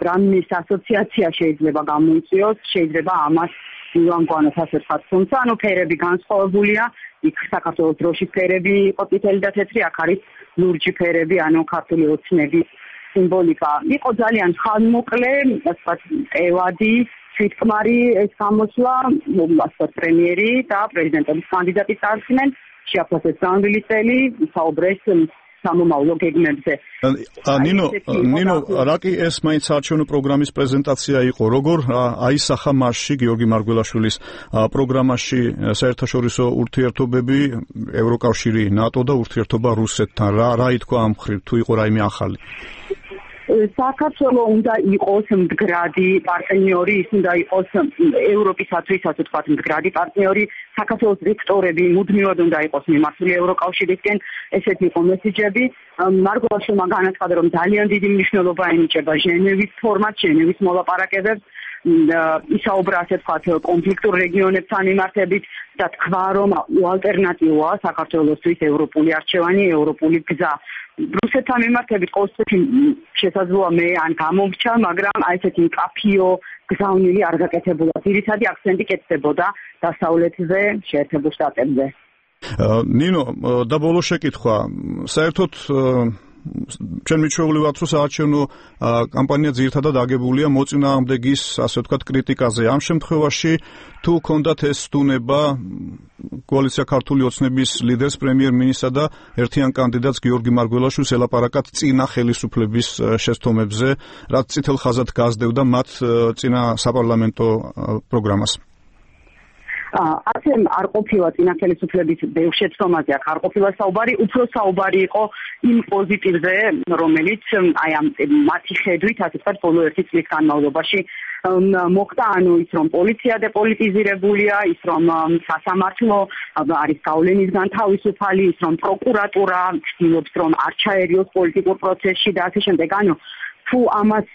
რამის ასოციაცია შეიძლება გამოიწვიოს შეიძლება ამას ივანგوانოს ასე ვთქვათ თუმცა ანუ ფერები განსხვავებულია იქ საქართველოს დროშის ფერები იყო წითელი და თეთრი აქ არის ლურჯი ფერები ანუ ქართული ოცნების სიმბოლიკა იყო ძალიან ხანმოკლე ასე ვთქვათ ევადი თვითკმარი ეს გამოსვლა ასე პრემიერი და პრეზიდენტობის კანდიდატი წარსდგნენ შეაფასეს განვლილი წელი საუბრეს სამომავლო გეგმებზე. ნინო, რაკი ეს მაინც არჩევნო პროგრამის პრეზენტაცია იყო, როგორ აისახა მასში გიორგი მარგველაშვილის პროგრამაში საერთაშორისო ურთიერთობები, ევროკავშირი, ნატო და ურთიერთობა რუსეთთან, რა ითქვა ამ მხრივ, თუ იყო რაიმე ახალი? საქართველოს უნდა იყოს მდგრადი პარტნიორი, ის უნდა იყოს ევროპისათვის, ასე ვთქვათ, მდგრადი პარტნიორი, საქართველოს ვექტორები მუდმივად უნდა იყოს მიმართული ევროკავშირისკენ, ესეთი იყო მესიჯები. მარგველაშვილმა განაცხადა, რომ ძალიან დიდი მნიშვნელობა ენიჭება ჟენევის ფორმატს, ჟენევის მოლაპარაკებებს, ისაუბრა ასე ვთქვათ კონფლიქტურ რეგიონებთან მიმართებით და თქვა, რომ ალტერნატივაა საქართველოსთვის ევროპული არჩევანი, ევროპული გზა. რუსეთთან მიმართებით ყოველთვის შესაძლოა მე ან გამომრჩა, მაგრამ აი ესეთი მკაფიო გზავნილი არ გაკეთებულა. ძირითადი აქცენტი კეთდებოდა დასავლეთზე, შეერთებულ შტატებზე. ნინო, და ბოლო შეკითხვა, საერთოდ ჩვენ მიჩვეული ვართ, რომ საარჩევნო კამპანია ძირითადად აგებულია მოწინააღმდეგის, ასე ვთქვათ, კრიტიკაზე. ამ შემთხვევაში თუ ქონდათ ეს სტუნება კოალიცია ქართული ოცნების ლიდერს პრემიერ-მინისტრსა და ერთიან კანდიდატს გიორგი მარგველაშვილს ელაპარაკათ წინა ხელისუფლების შესთომებზე, რაც წითელ ხაზად გასდევდა მათ წინა საპარლამენტო პროგრამას. ასე არ ყოფილა წინა ხელისუფლების ბევრ შეცდომაზე აქ არ ყოფილა საუბარი, უფრო საუბარი იყო იმ პოზიტივზე, რომელიც აი ამ მათი ხედვით, ასე ვთქვათ, ბოლო 1 წლის განმავლობაში მოხდა, ანუ ის რომ პოლიცია დეპოლიტიზირებულია, ის რომ სასამართლო არის გავლენისგან თავისუფალი, ის რომ პროკურატურა ცდილობს რომ არ ჩაერიოს პოლიტიკურ პროცესში და ასე შემდეგ, ანუ თუ ამას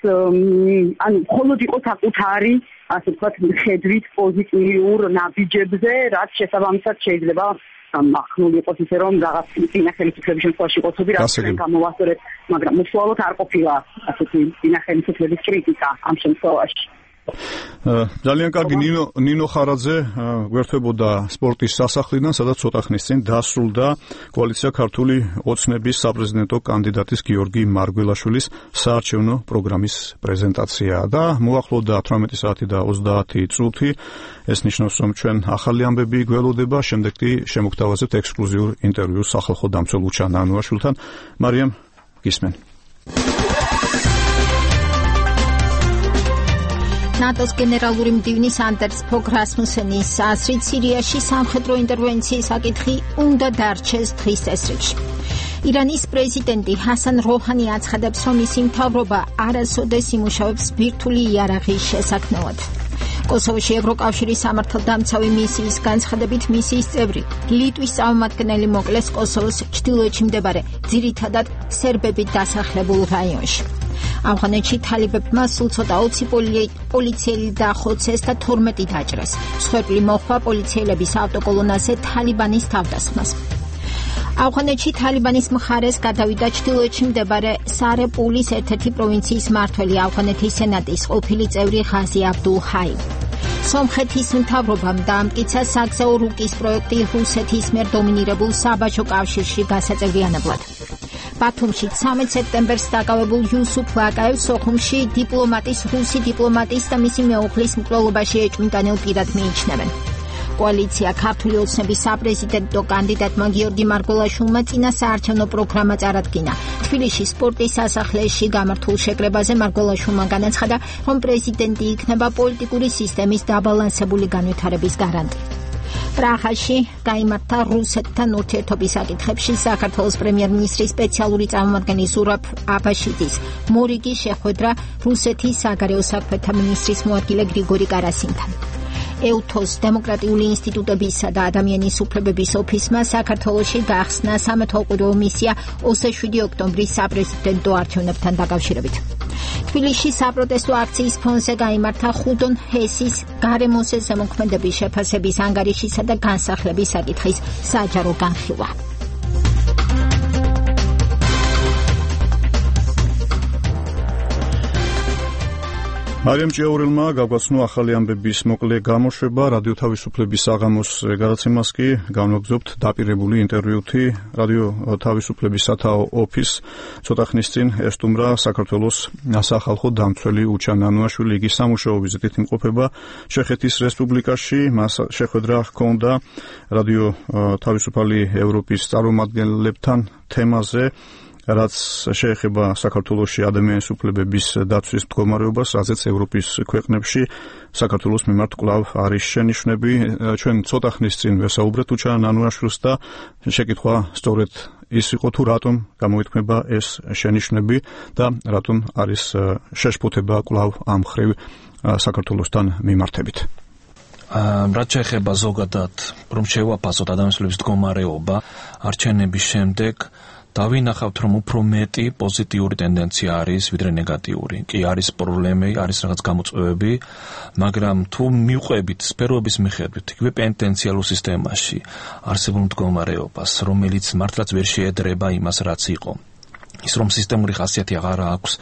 ანუ მხოლოდ იყო საკუთარი ასე ვთქვათ ხედვით პოზიტიურ ნაბიჯებზე, რაც შესაბამისად შეიძლება ახნული იყოს ისე რომ რაღაც წინა ხელისუფლების შემთხვევაში ყოთები რაც გამოვასწორეთ, მაგრამ უშუალოდ არ ყოფილა ასეთი წინა ხელისუფლების კრიტიკა ამ შემთხვევაში. ძალიან კარგი ნინო ხარაძე გვერდებოდა სპორტის სასახლიდან, სადაც ცოტა ხნის წინ დასრულდა კოალიცია ქართული ოცნების საპრეზიდენტო კანდიდატის გიორგი მარგველაშვილის საარჩევნო პროგრამის პრეზენტაცია და მოახლოვდა 18 საათი და 30 წუთი. ეს ნიშნავს, რომ ჩვენ ახალი ამბები გველოდება, შემდეგ კი შემოგთავაზებთ ექსკლუზიურ ინტერვიუს სახალხო დამცველ უჩა ნანუაშვილთან. მარიამ, გისმენ. ნატოს გენერალური მდივნის ანდერს ფოგ რასმუსენის აზრით სირიაში სამხედრო ინტერვენციის საკითხი უნდა დარჩეს დღის წესრიგში. ირანის პრეზიდენტი ჰასან როჰანი აცხადებს, რომ მისი მთავრობა არასოდეს იმუშავებს ბირთვული იარაღის შესაქმნელად. კოსოვოში ევროკავშირის სამართალდამცავი მისიის განცხადებით მისიის წევრი ლიტვის წარმომადგენელი მოკლეს კოსოვოს ჩრდილოეთში მდებარე ძირითადად სერბებით დასახლებულ რაიონში. ავღანეთში თალიბებმა სულ ცოტა 20 პოლიციელი დაახოცეს და 12 დაჭრეს. მსხვერპლი მოჰყვა პოლიციელების ავტოკოლონაზე თალიბანის თავდასხმას. ავღანეთში თალიბანის მხარეს გადავიდა ჩრდილოეთში მდებარე სარეპულის ერთ-ერთი პროვინციის მმართველი ავღანეთის სენატის ყოფილი წევრი ღაზი აბდულ ჰაი. სომხეთის მთავრობამ დაამტკიცა საგზაო რუკის პროექტი რუსეთის მიერ დომინირებულ საბაჟო კავშირში გასაწევრიანებლად. ბათუმში 13 სექტემბერს დაკავებულ იუსუფ ვაკაევს სოხუმში რუსი დიპლომატის და მისი მეუღლის მკვლელობაში ეჭვმიტანილ პირად მიიჩნევენ. კოალიცია ქართული ოცნების საპრეზიდენტო კანდიდატმა გიორგი მარგველაშვილმა წინა საარჩევნო პროგრამა წარადგინა. თბილისში სპორტის სასახლეში გამართულ შეკრებაზე მარგველაშვილმა განაცხადა, რომ პრეზიდენტი იქნება პოლიტიკური სისტემის დაბალანსებული განვითარების გარანტი. პრაღაში გაიმართა რუსეთთან ურთიერთობის საკითხებში საქართველოს პრემიერ-მინისტრის სპეციალური წარმომადგენლის ზურაბ აბაშიძის მორიგი შეხვედრა რუსეთის საგარეო საქმეთა მინისტრის მოადგილე გრიგორი კარასინთან. ეუთოს დემოკრატიული ინსტიტუტებისა და ადამიანის უფლებების ოფისმა საქართველოში გახსნა სამეთვალყურეო მისია 27 ოქტომბრის საპრეზიდენტო არჩევნებთან დაკავშირებით. თბილისში საპროტესტო აქციის ფონზე გაიმართა ხუდონ ჰესის გარემოზე ზემოქმედების შეფასების ანგარიშისა და განსახლების საკითხის საჯარო განხილვა. მარიამ ჭიაურელმა გაგვაცნო ახალი ამბების მოკლე გამოშვება. რადიო თავისუფლების საღამოს გადაცემას კი განვაგრძობთ დაპირებული ინტერვიუთი. რადიო თავისუფლების სათაო ოფისს ცოტა ხნის წინ ესტუმრა საქართველოს სახალხო დამცველი უჩა ნანუაშვილი. იგი სამუშაო ვიზიტით იმყოფება ჩეხეთის რესპუბლიკაში. მას შეხვედრა ჰქონდა რადიო თავისუფალი ევროპის წარმომადგენლებთან თემაზე, რაც შეეხება საქართველოში ადამიანის უფლებების დაცვის მდგომარეობას, რაზეც ევროპის ქვეყნებში საქართველოს მიმართ კვლავ არის შენიშვნები. ჩვენ ცოტა ხნის წინ ვესაუბრეთ უჩა ნანუაშვილს და შეკითხვა სწორედ ის იყო, თუ რატომ გამოითქმება ეს შენიშვნები და რატომ არის შეშფოთება კვლავ ამ მხრივ საქართველოსთან მიმართებით. რაც შეეხება ზოგადად, რომ შევაფასოთ ადამიანის უფლებების მდგომარეობა არჩევნების შემდეგ, დავინახავთ, რომ უფრო მეტი პოზიტიური ტენდენცია არის, ვიდრე ნეგატიური. კი არის პრობლემები, არის რაღაც გამოწვევები, მაგრამ თუ მივყვებით სფეროების მიხედვით, იგივე პენტენციალურ სისტემაში არსებულ მდგომარეობას, რომელიც მართლაც ვერ შეედრება იმას, რაც იყო. ის რომ სისტემური ხასიათი აღარ აქვს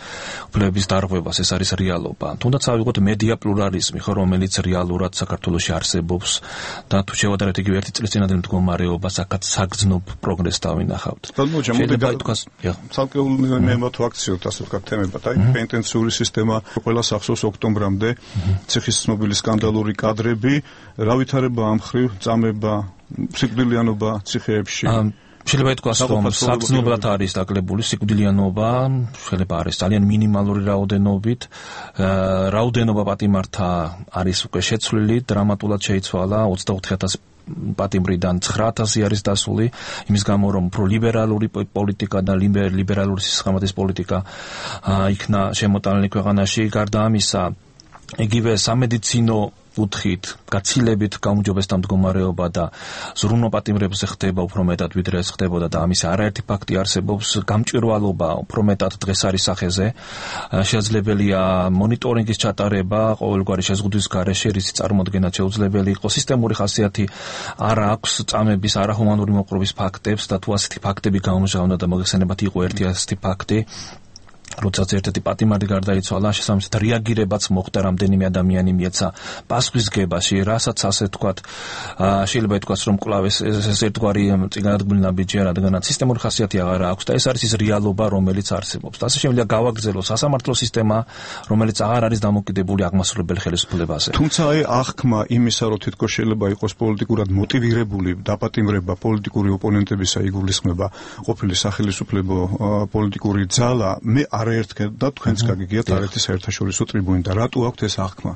უფლებების დარღვევას, ეს არის რეალობა. თუნდაც ავიღოთ მედია პლურალიზმი, ხო, რომელიც რეალურად საქართველოში არსებობს და თუ შევადარებთ იგივე ერთი წლის წინადელ მდგომარეობას, აქაც საგრძნობ პროგრესს დავინახავთ. შეიძლება ითქვას, ცალკეული მემოთ ვაქციოთ ასე ვთქვათ თემებად, აი პენტენციური სისტემა, ყველა სახსოვს ოქტომბრამდე ციხის ცნობილი სკანდალური კადრები, რა ვითარება ამ მხრივ, წამება, სიკვდილიანობა ციხეებში. შეიძლება ითქვას, რომ საგრძნობლად არის დაკლებული სიკვდილიანობა, შეიძლება არის ძალიან მინიმალური რაოდენობით, რაოდენობა პატიმართა არის უკვე შეცვლილი, დრამატულად შეიცვალა 24,000 პატიმრიდან 9,000 არის დასული, იმის გამო რომ უფრო ლიბერალური პოლიტიკა და ლიბერალური სისხლმის პოლიტიკა იქნა შემოტანილი ქვეყანაში. გარდა ამისა, იგივე სამედიცინო უთხით, გაცილებით გაუმჯობესდა მდგომარეობა და ზრუნვა პატიმრებზე ხდება უფრო მეტად, ვიდრე ეს ხდებოდა და ამის არაერთი ფაქტი არსებობს. გამჭვირვალობა უფრო მეტად დღეს არის სახეზე. შესაძლებელია მონიტორინგის ჩატარება ყოველგვარი შეზღუდვის გარეშე, რისი წარმოდგენაც შეუძლებელი იყო. სისტემური ხასიათი არ აქვს წამების არაჰუმანური მოპყრობის ფაქტებს და თუ ასეთი ფაქტები გამჟღავნა და მოგეხსენებათ იყო ერთი ასეთი ფაქტი, როდესაც ერთ-ერთი პატიმარი გარდაიცვალა, შესაბამისად რეაგირებაც მოხდა, რამდენიმე ადამიანი მიეცა პასუხისგებაში, რასაც ასე თქვათ, შეიძლება ითქვას, რომ კვლავ ეს ერთგვარი წინადადებული ნაბიჯია, რადგანაც სისტემური ხასიათი აღარ აქვს და ეს არის ის რეალობა, რომელიც არსებობს. და ასე შემიძლია გავაგრძელოს სასამართლო სისტემა, რომელიც აღარ არის დამოკიდებული აღმასრულებელ ხელისუფლებაზე. თუმცა აღქმა იმისა, რომ თითქოს შეიძლება იყოს პოლიტიკურად მოტივირებული დაპატიმრება პოლიტიკური ოპონენტებისა იგულისხმება ყოფილი სახელისუფლებო პოლიტიკური ძალა, მე არაერთხელ და თქვენც გაგიგიათ არაერთი საერთაშორისო ტრიბუნიდან. რატო აქვთ ეს აღქმა?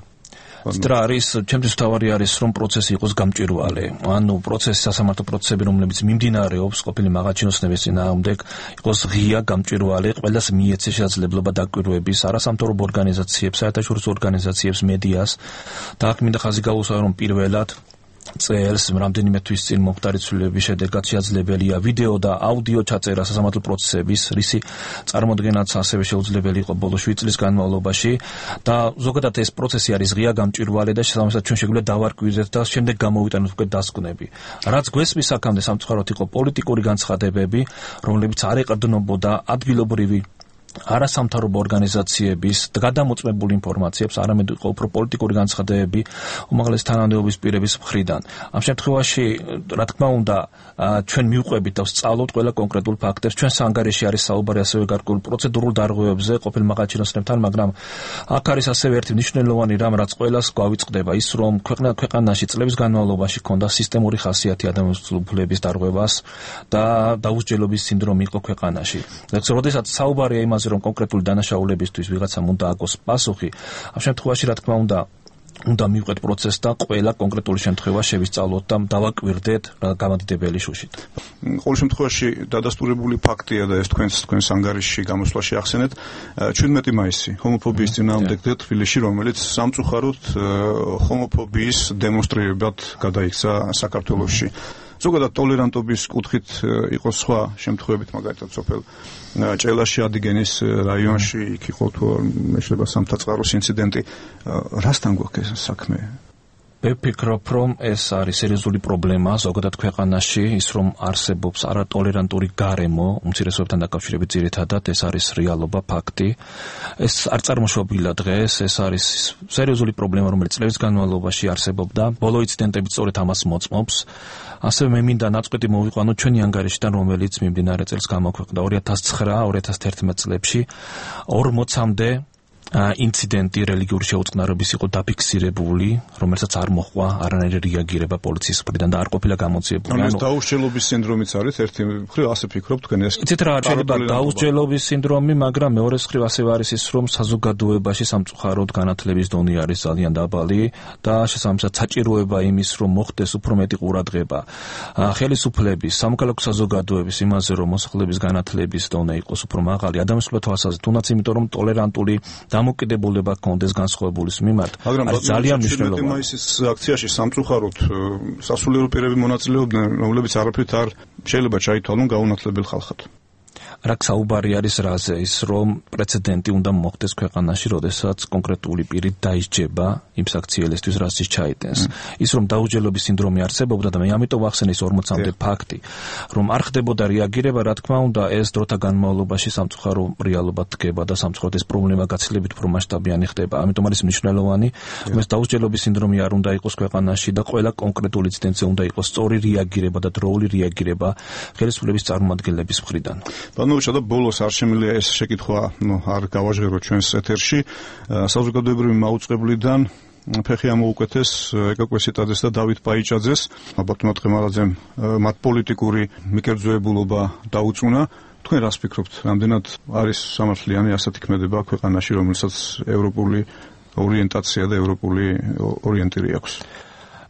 რა არის, ჩემთვის თავარი არის, რომ პროცესი იყოს გამჭვირვალე. ანუ პროცესი, სასამართლო პროცესები, რომლებიც მიმდინარეობს ყოფილი მაღალჩინოსნების წინააღმდეგ, იყოს ღია, გამჭვირვალე, ყველას მიეცეს შესაძლებლობა დაკვირვების, არასამთავრობო ორგანიზაციებს, საერთაშორისო ორგანიზაციებს, მედიას და აქ მინდა ხაზი გაუსვა, რომ პირველად წელს რამდენიმე თვის წინ მომხდარი ცვლილების შედეგად შესაძლებელია ვიდეო და აუდიო ჩაწერა სასამართლო პროცესების, რისი წარმოდგენაც ასევე შეუძლებელი იყო ბოლო 7 წლის განმავლობაში და ზოგადად ეს პროცესი არის ღია, გამჭვირვალე და შესაბამისად ჩვენ შეგვიძლია დავარკვივრდეთ და შემდეგ გამოვიტანოთ უკვე დასკვნები. რაც გვესმის აქამდე სამწუხაროდ იყო პოლიტიკური განცხადებები, რომლებიც არ ეყრდნობოდა ადგილობრივი არასამთავრობო ორგანიზაციების გადამოწმებული ინფორმაციებს, არამედ იყო უფრო პოლიტიკური განცხადებები უმაღლესი თანამდებობის პირების მხრიდან. ამ შემთხვევაში, რა თქმა უნდა, ჩვენ მივყვებით და ვსწავლობთ ყველა კონკრეტულ ფაქტებს. ჩვენ სანგარეში არის საუბარი ასევე გარკვეულ პროცედურულ დარღვევებზე ყოფილ მაღალჩინოსნებთან, მაგრამ აქ არის ასევე ერთი მნიშვნელოვანი რამ, რაც ყველას გვავიწყდება, ის რომ ქვეყანაში წლების განმავლობაში ჰქონდა სისტემური ხასიათი ადამიანის უფლების დარღვევას და დაუსჯელობის სინდრომი იყო ქვეყანაში. როდესაც საუბარია იმაზე, რომ კონკრეტული დანაშაულებისთვის ვიღაცამ უნდა აგოს პასუხი, ამ შემთხვევაში რა თქმა უნდა მივყვეთ პროცესს და ყველა კონკრეტული შემთხვევა შევისწავლოთ და დავაკვირდეთ გამადიდებელი შუშით. ყოველ შემთხვევაში დადასტურებული ფაქტია და ეს თქვენს ანგარიშში გამოსვლაში ახსენეთ 17 მაისი ჰომოფობიის წინააღმდეგ თბილისში, რომელიც სამწუხაროდ ჰომოფობიის დემონსტრირებად გადაიქცა საქართველოში. ზოგადად ტოლერანტობის კუთხით იყო სხვა შემთხვევებით, მაგალითად სოფელ ჭელაში, ადიგენის რაიონში, იქ იყო თუ შეიძლება სამთაწყაროს ინციდენტი. რასთან გვაქვს ეს საქმე? მე ვფიქრობ, რომ ეს არის სერიოზული პრობლემა ზოგადად ქვეყანაში, ის რომ არსებობს არატოლერანტული გარემო უმცირესობებთან დაკავშირებით ძირითადად, ეს არის რეალობა, ფაქტი. ეს არ წარმოშობილა დღეს, ეს არის სერიოზული პრობლემა, რომელიც წლების განმავლობაში არსებობდა. ბოლო ინციდენტები სწორედ ამას მოწმობს. ასევე მე მინდა ნაწყვეტი მოვიყვანო ჩვენი ანგარიშიდან, რომელიც მიმდინარე წელს გამოქვეყნდა 2009-2011 წლებში 40-მდე ინციდენტი რელიგიური შეუწყნარობის იყო დაფიქსირებული, რომელსაც არ მოჰყვა არანაირი რეაგირება პოლიციის მხრიდან და არ ყოფილა გამოძიებული. ანუ დაუსჯელობის სინდრომიც არის ერთი მხრივ, ასე ფიქრობ თქვენ ეს? იცით რა, შეიძლება დაუსჯელობის სინდრომი, მაგრამ მეორე მხრივ ასევე არის ის, რომ საზოგადოებაში სამწუხაროდ განათლების დონე არის ძალიან დაბალი და შესაბამისად საჭიროება იმის, რომ მოხდეს უფრო მეტი ყურადღება ხელისუფლების, სამოქალაქო საზოგადოების იმაზე, რომ მოსახლეობის განათლების დონე იყოს უფრო მაღალი, ადამიანის თვალსაზრისით, თუნდაც იმიტომ, რომ ტოლერანტული დამოკიდებულება კონდეს განსხვავებულის მიმართ. არის ძალიან მნიშვნელოვანი. 17 მაისის აქციაში სამწუხაროდ სასულიერო პირები მონაწილეობდნენ, რომლებიც არაფრით არ შეიძლება ჩაითვალონ გაუნათლებელ ხალხად. რა საუბარი არის რაზე, ის რომ პრეცედენტი უნდა მოხდეს ქვეყანაში, როდესაც კონკრეტული პირი დაისჯება იმ საქციელისთვის, რაც ის ჩაიტენს. ის რომ დაუსჯელობის სინდრომი არსებობდა და მე ამიტომ ვახსენე ის 40-მდე ფაქტი, რომ არ ხდებოდა რეაგირება, რა თქმა უნდა, ეს დროთა განმავლობაში სამწუხარო რეალობად დგება და სამწუხაროდ ეს პრობლემა გაცილებით უფრო მასშტაბიანი ხდება. ამიტომ არის მნიშვნელოვანი, რომ ეს დაუსჯელობის სინდრომი არ უნდა იყოს ქვეყანაში და ყველა კონკრეტული ინციდენტზე უნდა იყოს სწორი რეაგირება და დროული რეაგირება ხელისუფლების წარმომადგენლების მხრიდან. და ბოლოს არ შემიძლია ეს შეკითხვა არ გავაჟღერო ჩვენს ეთერში. საზოგადოებრივი მაუწყებლიდან ფეხი ამოუკეთეს ეკა კვესიტაძეს და დავით პაიჭაძეს. ბატონო ტყემალაძემ მათ პოლიტიკური მიკერძოებულობა დაუწუნა. თქვენ რას ფიქრობთ, რამდენად არის სამართლიანი ასათქმედება ქვეყანაში, რომელსაც ევროპული ორიენტაცია და ევროპული ორიენტირი აქვს?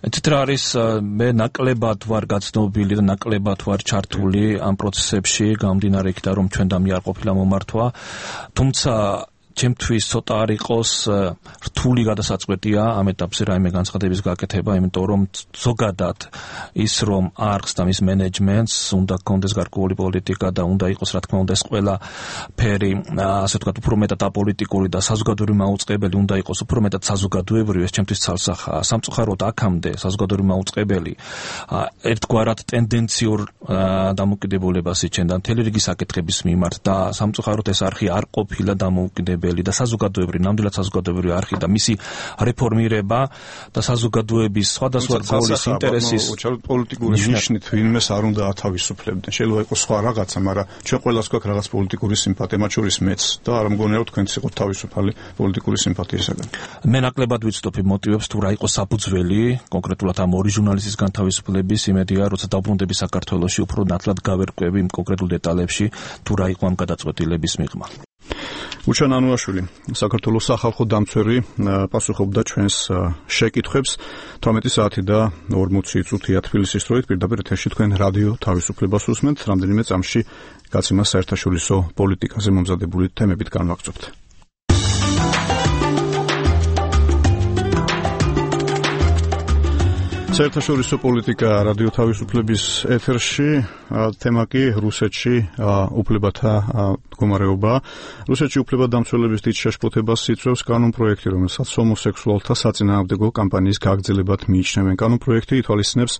ეთით რა არის, მე ნაკლებად ვარ გაცნობილი და ნაკლებად ვარ ჩართული ამ პროცესებში, გამომდინარე იქიდან, რომ ჩვენ დამი არ ყოფილა მომართვა, თუმცა ჩემთვის ცოტა არ იყოს რთული გადასაწყვეტია ამ ეტაპზე რაიმე განცხადების გაკეთება, იმიტომ რომ ზოგადად ის რომ არხს და მის მენეჯმენტს უნდა გქონდეს გარკვეული პოლიტიკა და უნდა იყოს რა თქმა უნდა ეს ყველა ფერი, ასე ვთქვათ, უფრო მეტად აპოლიტიკური და საზოგადოებრივი მაუწყებელი უნდა იყოს უფრო მეტად საზოგადოებრივი, ეს ჩემთვის ცალსახაა. სამწუხაროდ აქამდე საზოგადოებრივი მაუწყებელი ერთგვარად ტენდენციურ დამოკიდებულებას იჩენდა მთელი რიგი საკითხების მიმართ და სამწუხაროდ ეს არხი არ ყოფილა დამოუკიდებელი და საზოგადოებრივი, ნამდვილად საზოგადოებრივი არხი და მისი რეფორმირება და საზოგადოების სხვადასხვა რგოლის ინტერესის პოლიტიკური ნიშნით ვინმეს არ უნდა ათავისუფლებდნენ. შეიძლება იყოს სხვა რაღაცა, მაგრამ ჩვენ ყველას გვაქვს რაღაც პოლიტიკური სიმპათია, მათ შორის მეც და არ მგონია რომ თქვენც იყოთ თავისუფალი პოლიტიკური სიმპათიისაგან. მე ნაკლებად ვიცნობ მოტივებს თუ რა იყო საფუძველი კონკრეტულად ამ ორი ჟურნალისტის განთავისუფლების, იმედია როცა დავბრუნდები საქართველოში უფრო ნათლად გავერკვევი იმ კონკრეტულ დეტალებში თუ რა იყო ამ გადაწყვეტილების მიღმა. უჩან ანუაშვილი, საქართველოს სახალხო დამცველი, პასუხობდა ჩვენს შეკითხვებს 18 საათი და 40 წუთია თბილისის დროით. პირდაპირ ეთერში თქვენ რადიო თავისუფლებას უსმენთ. რამდენიმე წამში გაცემა საერთაშორისო პოლიტიკაზე მომზადებული თემებით განვაგრძობთ. საერთაშორისო პოლიტიკა რადიო თავისუფლების ეთერში, თემა კი რუსეთში უფლებათა მდგომარეობა. რუსეთში უფლებადამცველების დიდ შეშფოთებას იწვევს კანონპროექტი, რომელსაც ჰომოსექსუალთა საწინააღმდეგო კამპანიის გაგრძელებად მიიჩნევენ. კანონპროექტი ითვალისწინებს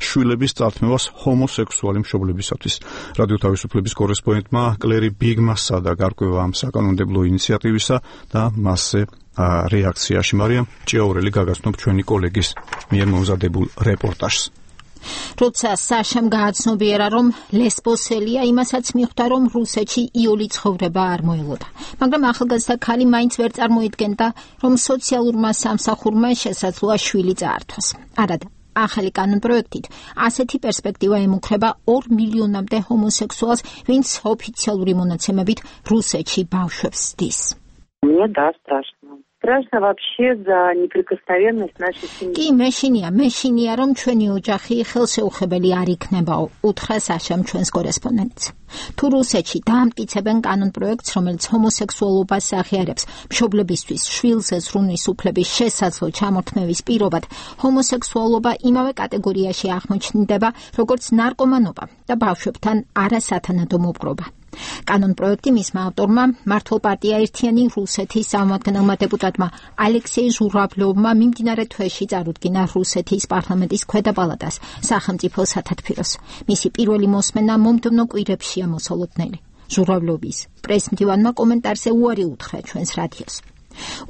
შვილების წართმევას ჰომოსექსუალი მშობლებისათვის. რადიო თავისუფლების კორესპონდენტმა კლერი ბიგმა სცადა გარკვევა ამ საკანონმდებლო ინიციატივისა და მასზე რეაქციაში. მარიამ ჭიაურელი გაგაცნობ ჩვენი კოლეგის მიერ მომზადებულ რეპორტაჟს. როცა საშამ გააცნობიერა, რომ ლესბოსელია, იმასაც მიხვდა, რომ რუსეთში იული ცხოვრება არ მოელოდა. მაგრამ ახალგაზრდა ქალი მაინც ვერ წარმოიდგენდა, რომ სოციალურმა სამსახურმა შესაძლოა შვილი წაართვას. არადა ახალი კანონპროექტით ასეთი პერსპექტივა ემუქრება 2 მილიონამდე ჰომოსექსუალს, ვინც ოფიციალური მონაცემებით რუსეთში ბავშვებს ზრდის. Мне да, страшно. Страшно вообще за неприкосновенность нашей семьи. კი მეშინია, რომ ჩვენი ოჯახი ხელშეუხებელი არ იქნებაო, უთხრა საშამ ჩვენს კორესპონდენტს. თუ რუსეთში დაამტკიცებენ კანონპროექტს, რომელიც ჰომოსექსუალობას აღიარებს მშობლებისთვის შვილზე ზრუნვის უფლების შესაძლო ჩამორთმევის პირობად, ჰომოსექსუალობა იმავე კატეგორიაში აღმოჩნდება, როგორც ნარკომანობა და ბავშვებთან არასათანადო მოპყრობა. კანონპროექტი მისმა ავტორმა, მართლ პარტია ერთიანი რუსეთის სამომადგენელმა დეპუტატმა ალექსეი ჟურავლოვმა მიმდინარე თვეში წარუდგინა რუსეთის პარლამენტის ქვედა პალატას სახელმწიფო სათათბიროს. მისი პირველი მოსმენა მომდევნო კვირებშია მოსალოდნელი. ჟურავლოვის პრესმდივანმა კომენტარზე უარი უთხრა ჩვენს რადიოს.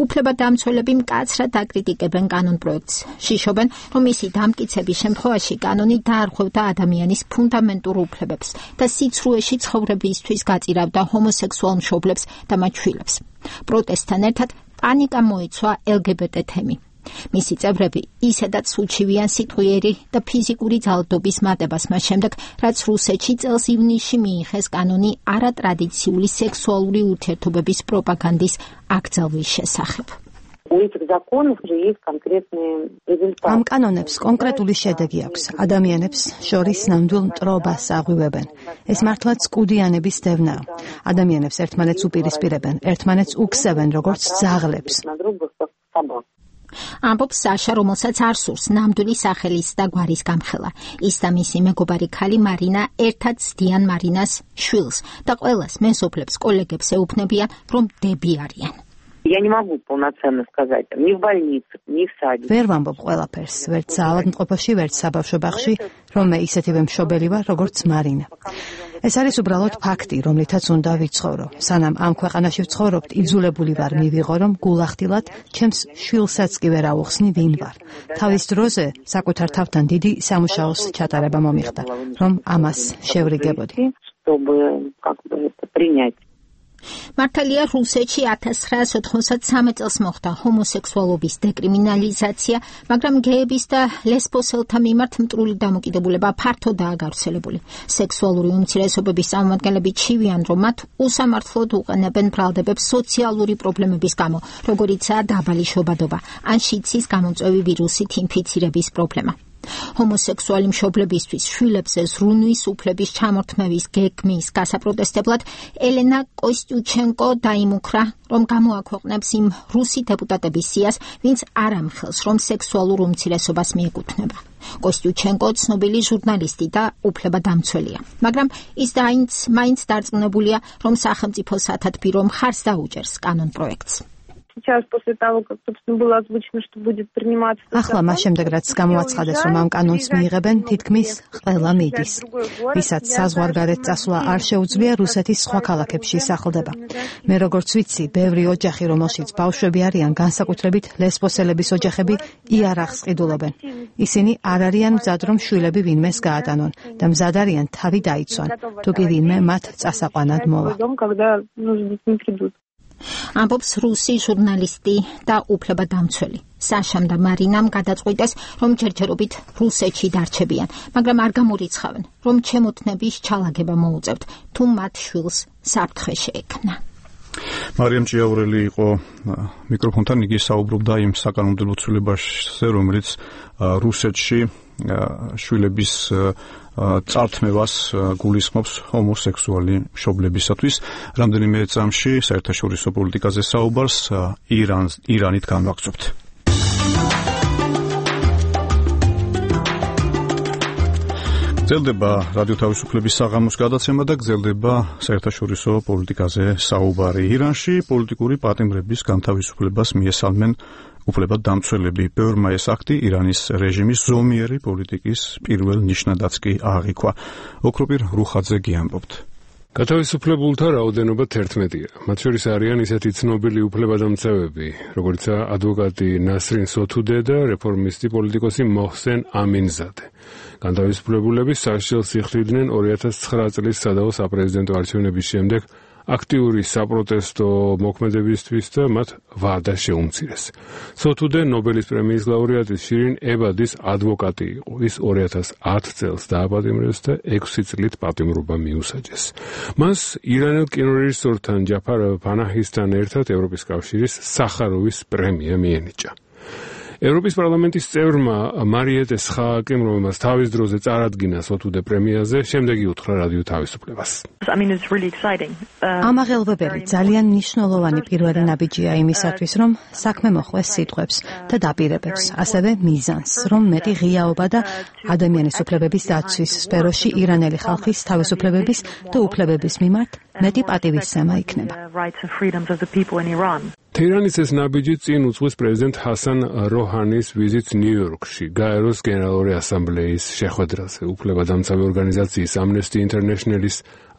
უფლებადამცველები მკაცრად აკრიტიკებენ კანონპროექტს. შიშობენ, რომ მისი დამტკიცების შემთხვევაში კანონი დაარღვევდა ადამიანის ფუნდამენტურ უფლებებს და სიცრუეში ცხოვრებისთვის გაწირავდა ჰომოსექსუალ მშობლებს და მათ შვილებს. პროტესტთან ერთად პანიკა მოიცვა LGBT თემი. მისი წევრები ისედაც უჩივიან სიტყვიერი და ფიზიკური ძალადობის მატებას მას შემდეგ, რაც რუსეთში წელს ივნისში მიიღეს კანონი არატრადიციული სექსუალური ურთიერთობების პროპაგანდის აკრძალვის შესახებ. ამ კანონებს კონკრეტული შედეგი აქვს. ადამიანებს შორის ნამდვილ მტრობას აღვივებენ. ეს მართლაც კუდიანების დევნაა. ადამიანებს ერთმანეთს უპირისპირებენ, ერთმანეთს უქსევენ როგორც ძაღლებს. ამბობს საშა, რომელსაც არ სურს ნამდვილი სახელის და გვარის გამხელა. ის და მისი მეგობარი ქალი მარინა ერთად ცდიან მარინას შვილს და ყველას მეზობლებს, კოლეგებს ეუბნებიან, რომ დები არიან. Я не могу полноценно сказать, ни в больнице, ни в саде. ვერ ვამბობ ყველაფერს, ვერც საავადმყოფოში, ვერც საბავშვო ბაღში, რომ მე ისეთივე მშობელი ვარ, როგორც მარინა. ეს არის უბრალოდ ფაქტი, რომლითაც უნდა ვიცხოვრო. სანამ ამ ქვეყანაში ვცხოვრობთ, იძულებული ვარ მივიღო, რომ გულახდილად ჩემს შვილსაც კი ვერ აუხსნი ვინ ვარ. თავის დროზე საკუთარ თავთან დიდი სამუშაოს ჩატარება მომიხდა, რომ ამას შევრიგებოდი. მართალია რუსეთში 1993 წელს მოხდა ჰომოსექსუალობის დეკრიმინალიზაცია, მაგრამ გეების და ლესბოსელთა მიმართ მტრული დამოკიდებულება ფართოდაა გავრცელებული. სექსუალური უმცირესობების წარმომადგენლები ჩივიან, რომ მათ უსამართლოდ უყენებენ ბრალდებებს სოციალური პრობლემების გამო, როგორიცაა დაბალი შობადობა ან შიცის გამომწვევი ვირუსით ინფიცირების პრობლემა. ჰომოსექსუალი მშობლებისთვის შვილებზე ზრუნვის უფლების ჩამორთმევის გეგმის გასაპროტესტებლად ელენა კოსტიუჩენკო დაიმუქრა, რომ გამოაქვეყნებს იმ რუსი დეპუტატების სიას, ვინც არ ამხელს, რომ სექსუალურ უმცირესობას მიეკუთვნება. კოსტიუჩენკო ცნობილი ჟურნალისტი და უფლებადამცველია, მაგრამ ის მაინც დარწმუნებულია, რომ სახელმწიფო სათათბირო მხარს დაუჭერს კანონპროექტს. Сейчас после того, как, собственно, было озвучено, что будет приниматься... ახლა მას შემდეგ, რაც გამოაცხადეს, რომ ამ კანონს მიიღებენ, თითქმის ყველა მიდის. ვისაც საზღვარგარეთ წასვლა არ შეუძლია, რუსეთის სხვა ქალაქებში სახლდება. მე როგორც ვიცი, ბევრი ოჯახი, რომელშიც ბავშვები არიან, განსაკუთრებით ლესბოსელების ოჯახები, იარაღს ყიდულობენ. ისინი არ არიან მზად, რომ შვილები ვინმეს გაატანონ და მზად არიან თავი დაიცვან, თუ კი ვინმე მათ წასაყვანად მოვა. ამბობს რუსი ჟურნალისტი და უფლებადამცველი. საშამ და მარინამ გადაწყვიტეს, რომ ჯერჯერობით რუსეთში დარჩებიან, მაგრამ არ გამორიცხავენ, რომ ჩემოთნების ჩალაგება მოუწევთ, თუ მათ შვილს საფრთხე შეექმნა. მარიამ ჭიაურელი იყო მიკროფონთან, იგი საუბრობდა იმ საკანონმდებლო ცვლილებაზე, რომელიც რუსეთში შვილების წართმევას გულისხმობს ჰომოსექსუალი მშობლებისათვის. რამდენიმე წამში საერთაშორისო პოლიტიკაზე საუბარს ირანით განვაგრძობთ. გრძელდება რადიო თავისუფლების საღამოს გადაცემა და გრძელდება საერთაშორისო პოლიტიკაზე საუბარი. ირანში პოლიტიკური პატიმრების განთავისუფლებას მიესალმენ უფლებადამცველები. ბევრმა ეს აქტი ირანის რეჟიმის ზომიერი პოლიტიკის პირველ ნიშნადაც კი აღიქვა. ოქროპირ რუხაძე ამბობთ. გათავისუფლებულთა რაოდენობა 11-ია. მათ შორის არიან ისეთი ცნობილი უფლებადამცავები, როგორიცაა ადვოკატი ნასრინ სოთუდე და რეფორმისტი პოლიტიკოსი მოჰსენ ამინზადე. განთავისუფლებულები საშიშელს იხდიდნენ 2009 წლის სადავო საპრეზიდენტო არჩევნების შემდეგ აქტიური საპროტესტო მოქმედებისთვის და მათ ვადა შეუმცირეს. სოთუდე ნობელის პრემიის ლაურეატი შირინ ებადის ადვოკატი იყო. ის 2010 წელს დააპატიმრეს და 6 წლით პატიმრობა მიუსაჯეს. მას ირანელ კინორეჟისორთან ჯაფარ ფანაჰისთან ერთად ევროპის კავშირის სახაროვის პრემია მიენიჭა. ევროპის პარლამენტის წევრმა მარიეტე სხააკემ, რომელმაც თავის დროზე წარადგინა სოთუდე პრემიაზე, შემდეგი უთხრა რადიო თავისუფლებას. ამაღელვებელი ძალიან მნიშვნელოვანი პირველი ნაბიჯია იმისათვის, რომ საქმე მოხვეს სიტყვებს და დაპირებებს, ასევე მიზანს, რომ მეტი ღიაობა და ადამიანის უფლებების დაცვის სფეროში ირანელი ხალხის თავისუფლებების და უფლებების მიმართ მეტი პატივისცემა იქნება. თეირანის ეს ნაბიჯი წინ უძღვის პრეზიდენტ ჰასან როჰანის ვიზიტს ნიუ-იორკში, გაეროს გენერალური ასამბლეის შეხვედრაზე. უფლებადამცავი ორგანიზაციის Amnesty International-ის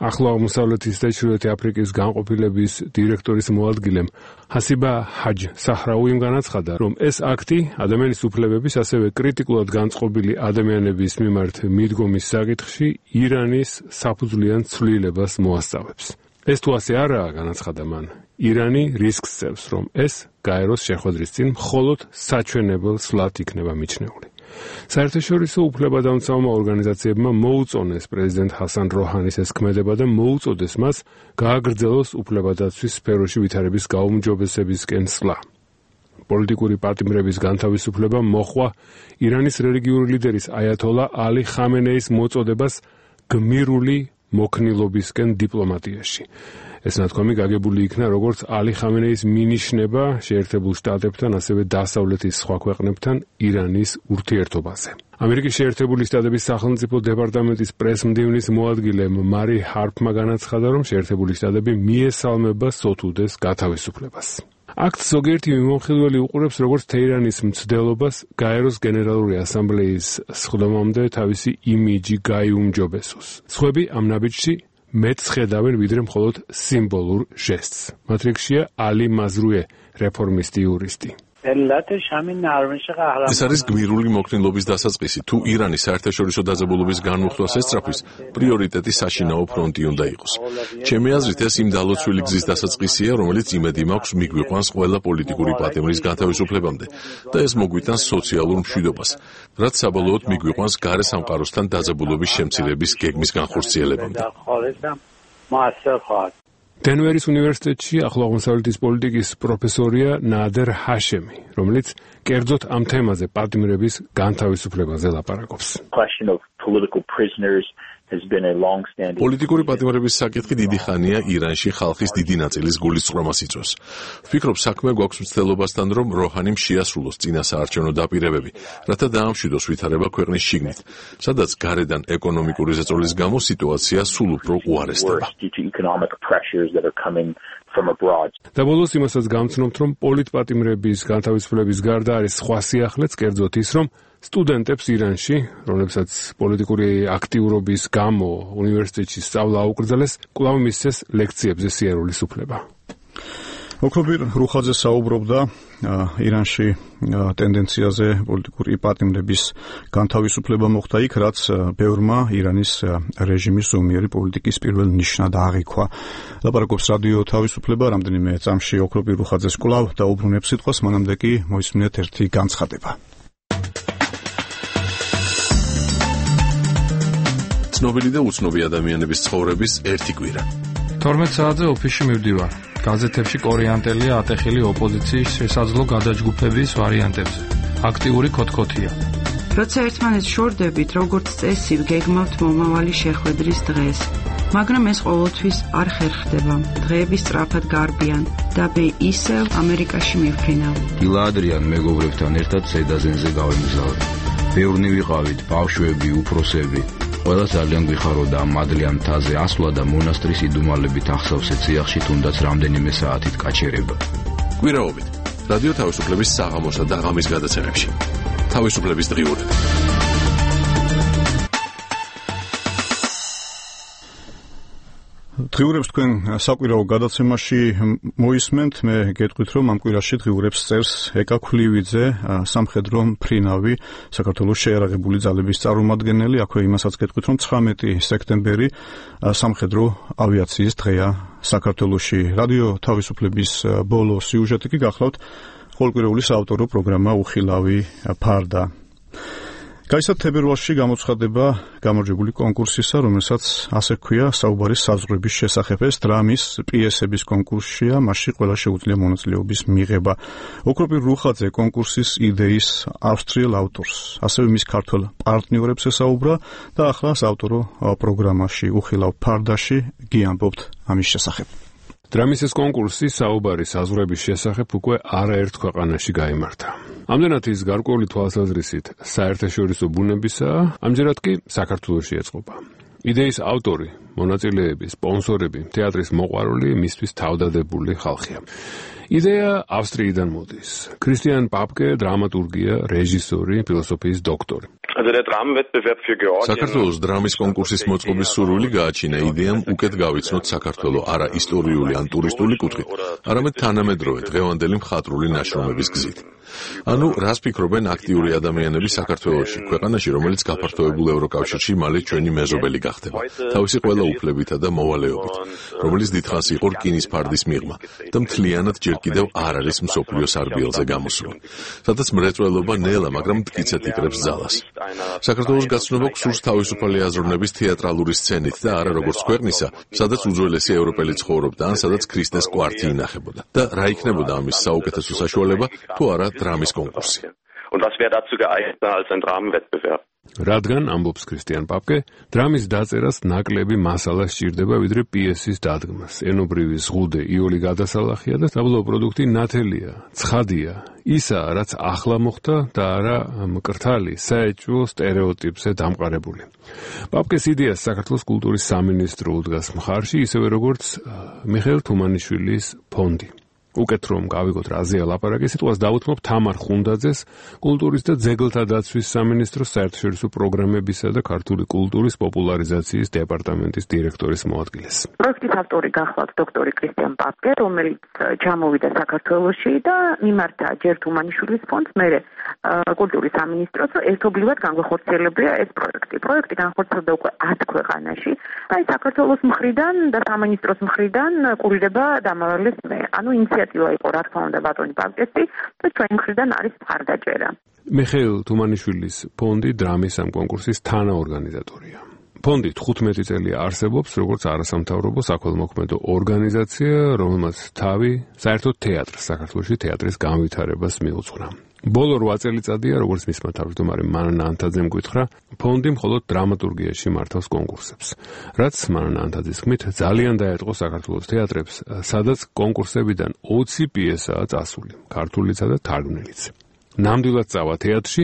ახლო აღმოსავლეთის და ჩრდილოეთ აფრიკის განყოფილების დირექტორის მოადგილემ ჰასიბა ჰაჯ საჰრაუიმ განაცხადა, რომ ეს აქტი ადამიანის უფლებების, ასევე კრიტიკულად განწყობილი ადამიანების მიმართ მიდგომის საკითხში ირანის საფუძვლიან ცვლილებას მოასწავებს. ეს თუ ასე არაა, განაცხადა მან, ირანი რისკს წევს, რომ ეს გაეროს შეხვედრის წინ მხოლოდ საჩვენებელ სვლად იქნება მიჩნეული. საერთაშორისო უფლებადამცავმა ორგანიზაციებმა მოუწონეს პრეზიდენტ ჰასან როჰანის ეს ქმედება და მოუწოდეს მას გააგრძელოს უფლებადაცვის სფეროში ვითარების გაუმჯობესებისკენ სვლა. პოლიტიკური პატიმრების განთავისუფლება მოჰყვა ირანის რელიგიური ლიდერის აიათოლა ალი ხამენეის მოწოდებას გმირული მოქნილობისკენ დიპლომატიაში. ეს ნათქვამი გაგებული იქნა როგორც ალი ხამენეის მინიშნება შეერთებულ შტატებთან, ასევე დასავლეთის სხვა ქვეყნებთან ირანის ურთიერთობაზე. ამერიკის შეერთებული შტატების სახელმწიფო დეპარტამენტის პრესმდივნის მოადგილე მარი ჰარპმა განაცხადა, რომ შეერთებული შტატები მიესალმება სოთუდეს გათავისუფლებას. აქტს ზოგიერთი მიმოხილველი უყურებს როგორც თეირანის მცდელობას გაეროს გენერალური ასამბლეის სხდომამდე თავისი იმიჯი გაიუმჯობესოს. სხვები ამ ნაბიჯში მეტს ხედავენ ვიდრე მხოლოდ სიმბოლურ ჟესტს. მათ რიგშია ალი მაზრუე, რეფორმისტი იურისტი. ეს არის გმირული მოქნილობის დასაწყისი. თუ ირანის საერთაშორისო დაძაბულობის განმუხტვას ესწრაფვის, პრიორიტეტი საშინაო ფრონტი უნდა იყოს. ჩემი აზრით, ეს იმ დალოცვილი გზის დასაწყისია, რომელიც იმედი მაქვს მიგვიყვანს ყველა პოლიტიკური პატიმრის განთავისუფლებამდე და ეს მოგვიტანს სოციალურ მშვიდობას, რაც საბოლოოდ მიგვიყვანს გარე სამყაროსთან დაძაბულობის შემცირების გეგმის განხორციელებამდე. დენვერის უნივერსიტეტში ახლო აღმოსავლეთის პოლიტიკის პროფესორია ნადერ ჰაშემი, რომელიც კერძოდ ამ თემაზე პატიმრების განთავისუფლებაზე ლაპარაკობს. პოლიტიკური პატიმრების საკითხი დიდი ხანია ირანში ხალხის დიდი ნაწილის გულისწყრომას იწვევს. ვფიქრობ, საქმე გვაქვს მცდელობასთან, რომ როჰანიმ შეასრულოს წინა საარჩევნო დაპირებები, რათა დაამშვიდოს ვითარება ქვეყნის შიგნით, სადაც გარედან ეკონომიკური ზეწოლის გამო სიტუაცია სულ უფრო უარესდება. და ბოლოს იმასაც გამცნობთ, რომ პოლიტპატიმრების განთავისუფლების გარდა არის სხვა სიახლეც, კერძოდ ის, რომ სტუდენტებს ირანში, რომლებსაც პოლიტიკური აქტიურობის გამო უნივერსიტეტში სწავლა აუკრძალეს, კვლავ მისცეს ლექციებზე სიარულის უფლება. ოქრობირ რუხაძე საუბრობდა ირანში ტენდენციაზე პოლიტიკური პატიმრების განთავისუფლება მოხდა იქ, რაც ბევრმა ირანის რეჟიმის ზომიერი პოლიტიკის პირველ ნიშნად აღიქვა. ლაპარაკობს რადიო თავისუფლება, რამდენიმე წამში ოქრობირ რუხაძეს კვლავ დაუბრუნებს სიტყვას, მანამდე კი მოისმინეთ ერთი განცხადება. ცნობილი და უცნობი ადამიანების ცხოვრების ერთი კვირა. 12 საათზე ოფისში მივდივარ. გაზეთებში კორეანტელია ატეხილი ოპოზიციის შესაძლო გადაჯგუფების ვარიანტებზე. აქტიური ქოთქოთია. როცა ერთმანეთს შორდებით, როგორც წესი, გეგმავთ მომავალი შეხვედრის დღეს. მაგრამ ეს ყოველთვის არ ხერხდება. დღეები სწრაფად გარბიან და მე ისევ ამერიკაში მივფრინავ. დილა ადრიან მეგობრებთან ერთად სედაზენზე გავემგზავრე. ბევრნი ვიყავით, ბავშვები, უფროსები. ყველა ძალიან გვიხაროდა ამ მადლიან მთაზე ასვლა და მონასტრის იდუმალებით ახსავსე ციახში თუნდაც რამდენიმე საათით გაჩერება. კვირაობით რადიო თავისუფლების საღამოსა და ღამის გადაცემებში. თავისუფლების დღიურები. დღიურებს თქვენ საკვირაო გადაცემაში მოისმენთ. მე გეტყვით, რომ ამ კვირაში დღიურებს წერს ეკა ქვლივიძე, სამხედრო მფრინავი, საქართველოს შეიარაღებული ძალების წარმომადგენელი. აქვე იმასაც გეტყვით, რომ 19 სექტემბერი სამხედრო ავიაციის დღეა საქართველოში. რადიო თავისუფლების ბოლო სიუჟეტი კი გახლავთ ყოველკვირეული საავტორო პროგრამა უხილავი ფარდა. გაიცათ თებერვალში გამოცხადება გამარჯვებული კონკურსისა, რომელსაც ასე ჰქვია საუბარი საზღვრების შესახებ. ეს დრამის პიესების კონკურსია, მასში ყველა შეუძლია მონაწილეობის მიღება. ოქრობირ რუხაძე კონკურსის იდეის ავსტრიელ ავტორს, ასევე მის ქართველ პარტნიორებს ესაუბრა და ახლა საავტორო პროგრამაში უხილავ ფარდაში გიამბობთ ამის შესახებ. დრამის ეს კონკურსი საუბარი საზღვრების შესახებ უკვე არაერთ ქვეყანაში გაიმართა. ამდენად ის გარკვეული თვალსაზრისით საერთაშორისო ბუნებისაა, ამჯერად კი საქართველოში ეწყობა. იდეის ავტორი, მონაწილეები, სპონსორები, თეატრის მოყვარული, მისთვის თავდადებული ხალხია. იდეა ავსტრიიდან მოდის. ქრისტიან პაპკე, დრამატურგია, რეჟისორი, ფილოსოფიის დოქტორი. საქართველოს დრამის კონკურსის მოწყობის სურვილი გააჩინა იდეამ უკეთ გავიცნოთ საქართველო არა ისტორიული ან ტურისტული კუთხით, არამედ თანამედროვე დღევანდელი მხატვრული ნაშრომების გზით. ანუ რას ფიქრობენ აქტიური ადამიანები საქართველოში, ქვეყანაში, რომელიც გაფართოებულ ევროკავშირში მალე ჩვენი მეზობელი გახდება, თავისი ყველა უფლებითა და მოვალეობით, რომელიც დიდხანს იყო რკინის ფარდის მიღმა და მთლიანად ჯერ კიდევ არ არის მსოფლიო სარბიელზე გამოსული, სადაც მრეწველობა ნელა, მაგრამ მტკიცედ იკრებს ძალას. საქართველოს გაცნობა გსურს თავისუფალი აზროვნების თეატრალური სცენით და არა როგორც ქვეყნისა, სადაც უძველესი ევროპელი ცხოვრობდა ან სადაც ქრისტეს კვართი ინახებოდა. და რა იქნებოდა ამის საუკეთესო საშუალება, თუ არა დრამის კონკურსი. რადგან, ამბობს ქრისტიან პაპკე, დრამის დაწერას ნაკლები მასალა სჭირდება, ვიდრე პიესის დადგმას. ენობრივი ზღუდე იოლი გადასალახია და საბოლოო პროდუქტი ნათელია, ცხადია, ისაა, რაც ახლა მოხდა და არა მკრთალი, საეჭვო სტერეოტიპზე დამყარებული. პაპკეს იდეას საქართველოს კულტურის სამინისტრო უდგას მხარში, ისევე როგორც მიხეილ თუმანიშვილის ფონდი. უკეთ რომ გავიგოთ რაზეა ლაპარაკი, სიტყვას დავუთმობ თამარ ხუნდაძეს, კულტურის და ძეგლთა დაცვის სამინისტროს საერთაშორისო პროგრამებისა და ქართული კულტურის პოპულარიზაციის დეპარტამენტის დირექტორის მოადგილეს. პროექტის ავტორი გახლავთ დოქტორი ქრისტიან პაპკე, რომელიც ჩამოვიდა საქართველოში და მიმართა ჯერ თუმანიშვილის ფონდს, მერე კულტურის სამინისტროს, ერთობლივად განხორციელებია ეს პროექტი. პროექტი განხორციელდა უკვე 10 ქვეყანაში. აი საქართველოს მხრიდან და სამინისტროს მხრიდან ყურირება დამავალეს მე. ანუ ინიციატივა იყო, რა თქმა უნდა, ბატონი პაპკესი და ჩვენი მხრიდან არის მხარდაჭერა. მიხეილ თუმანიშვილის ფონდი დრამის ამ კონკურსის თანაორგანიზატორია. ფონდი 15 წელია არსებობს, როგორც არასამთავრობო საქველმოქმედო ორგანიზაცია, რომელმაც თავი საერთოდ თეატრს, საქართველოში თეატრის განვითარებას მიუძღვნა. ბოლო 8 წელიწადია, როგორც მისმა თავმჯდომარე მანანა ანთაძემ გითხრა, ფონდი მხოლოდ დრამატურგიაში მართავს კონკურსებს. რაც მანანა ანთაძის თქმით, ძალიან დაეთყო საქართველოს თეატრებს, სადაც კონკურსებიდან 20 პიესაა წასული, ქართულისა და თარგმნილიც. ნამდვილად წავა თეატრში,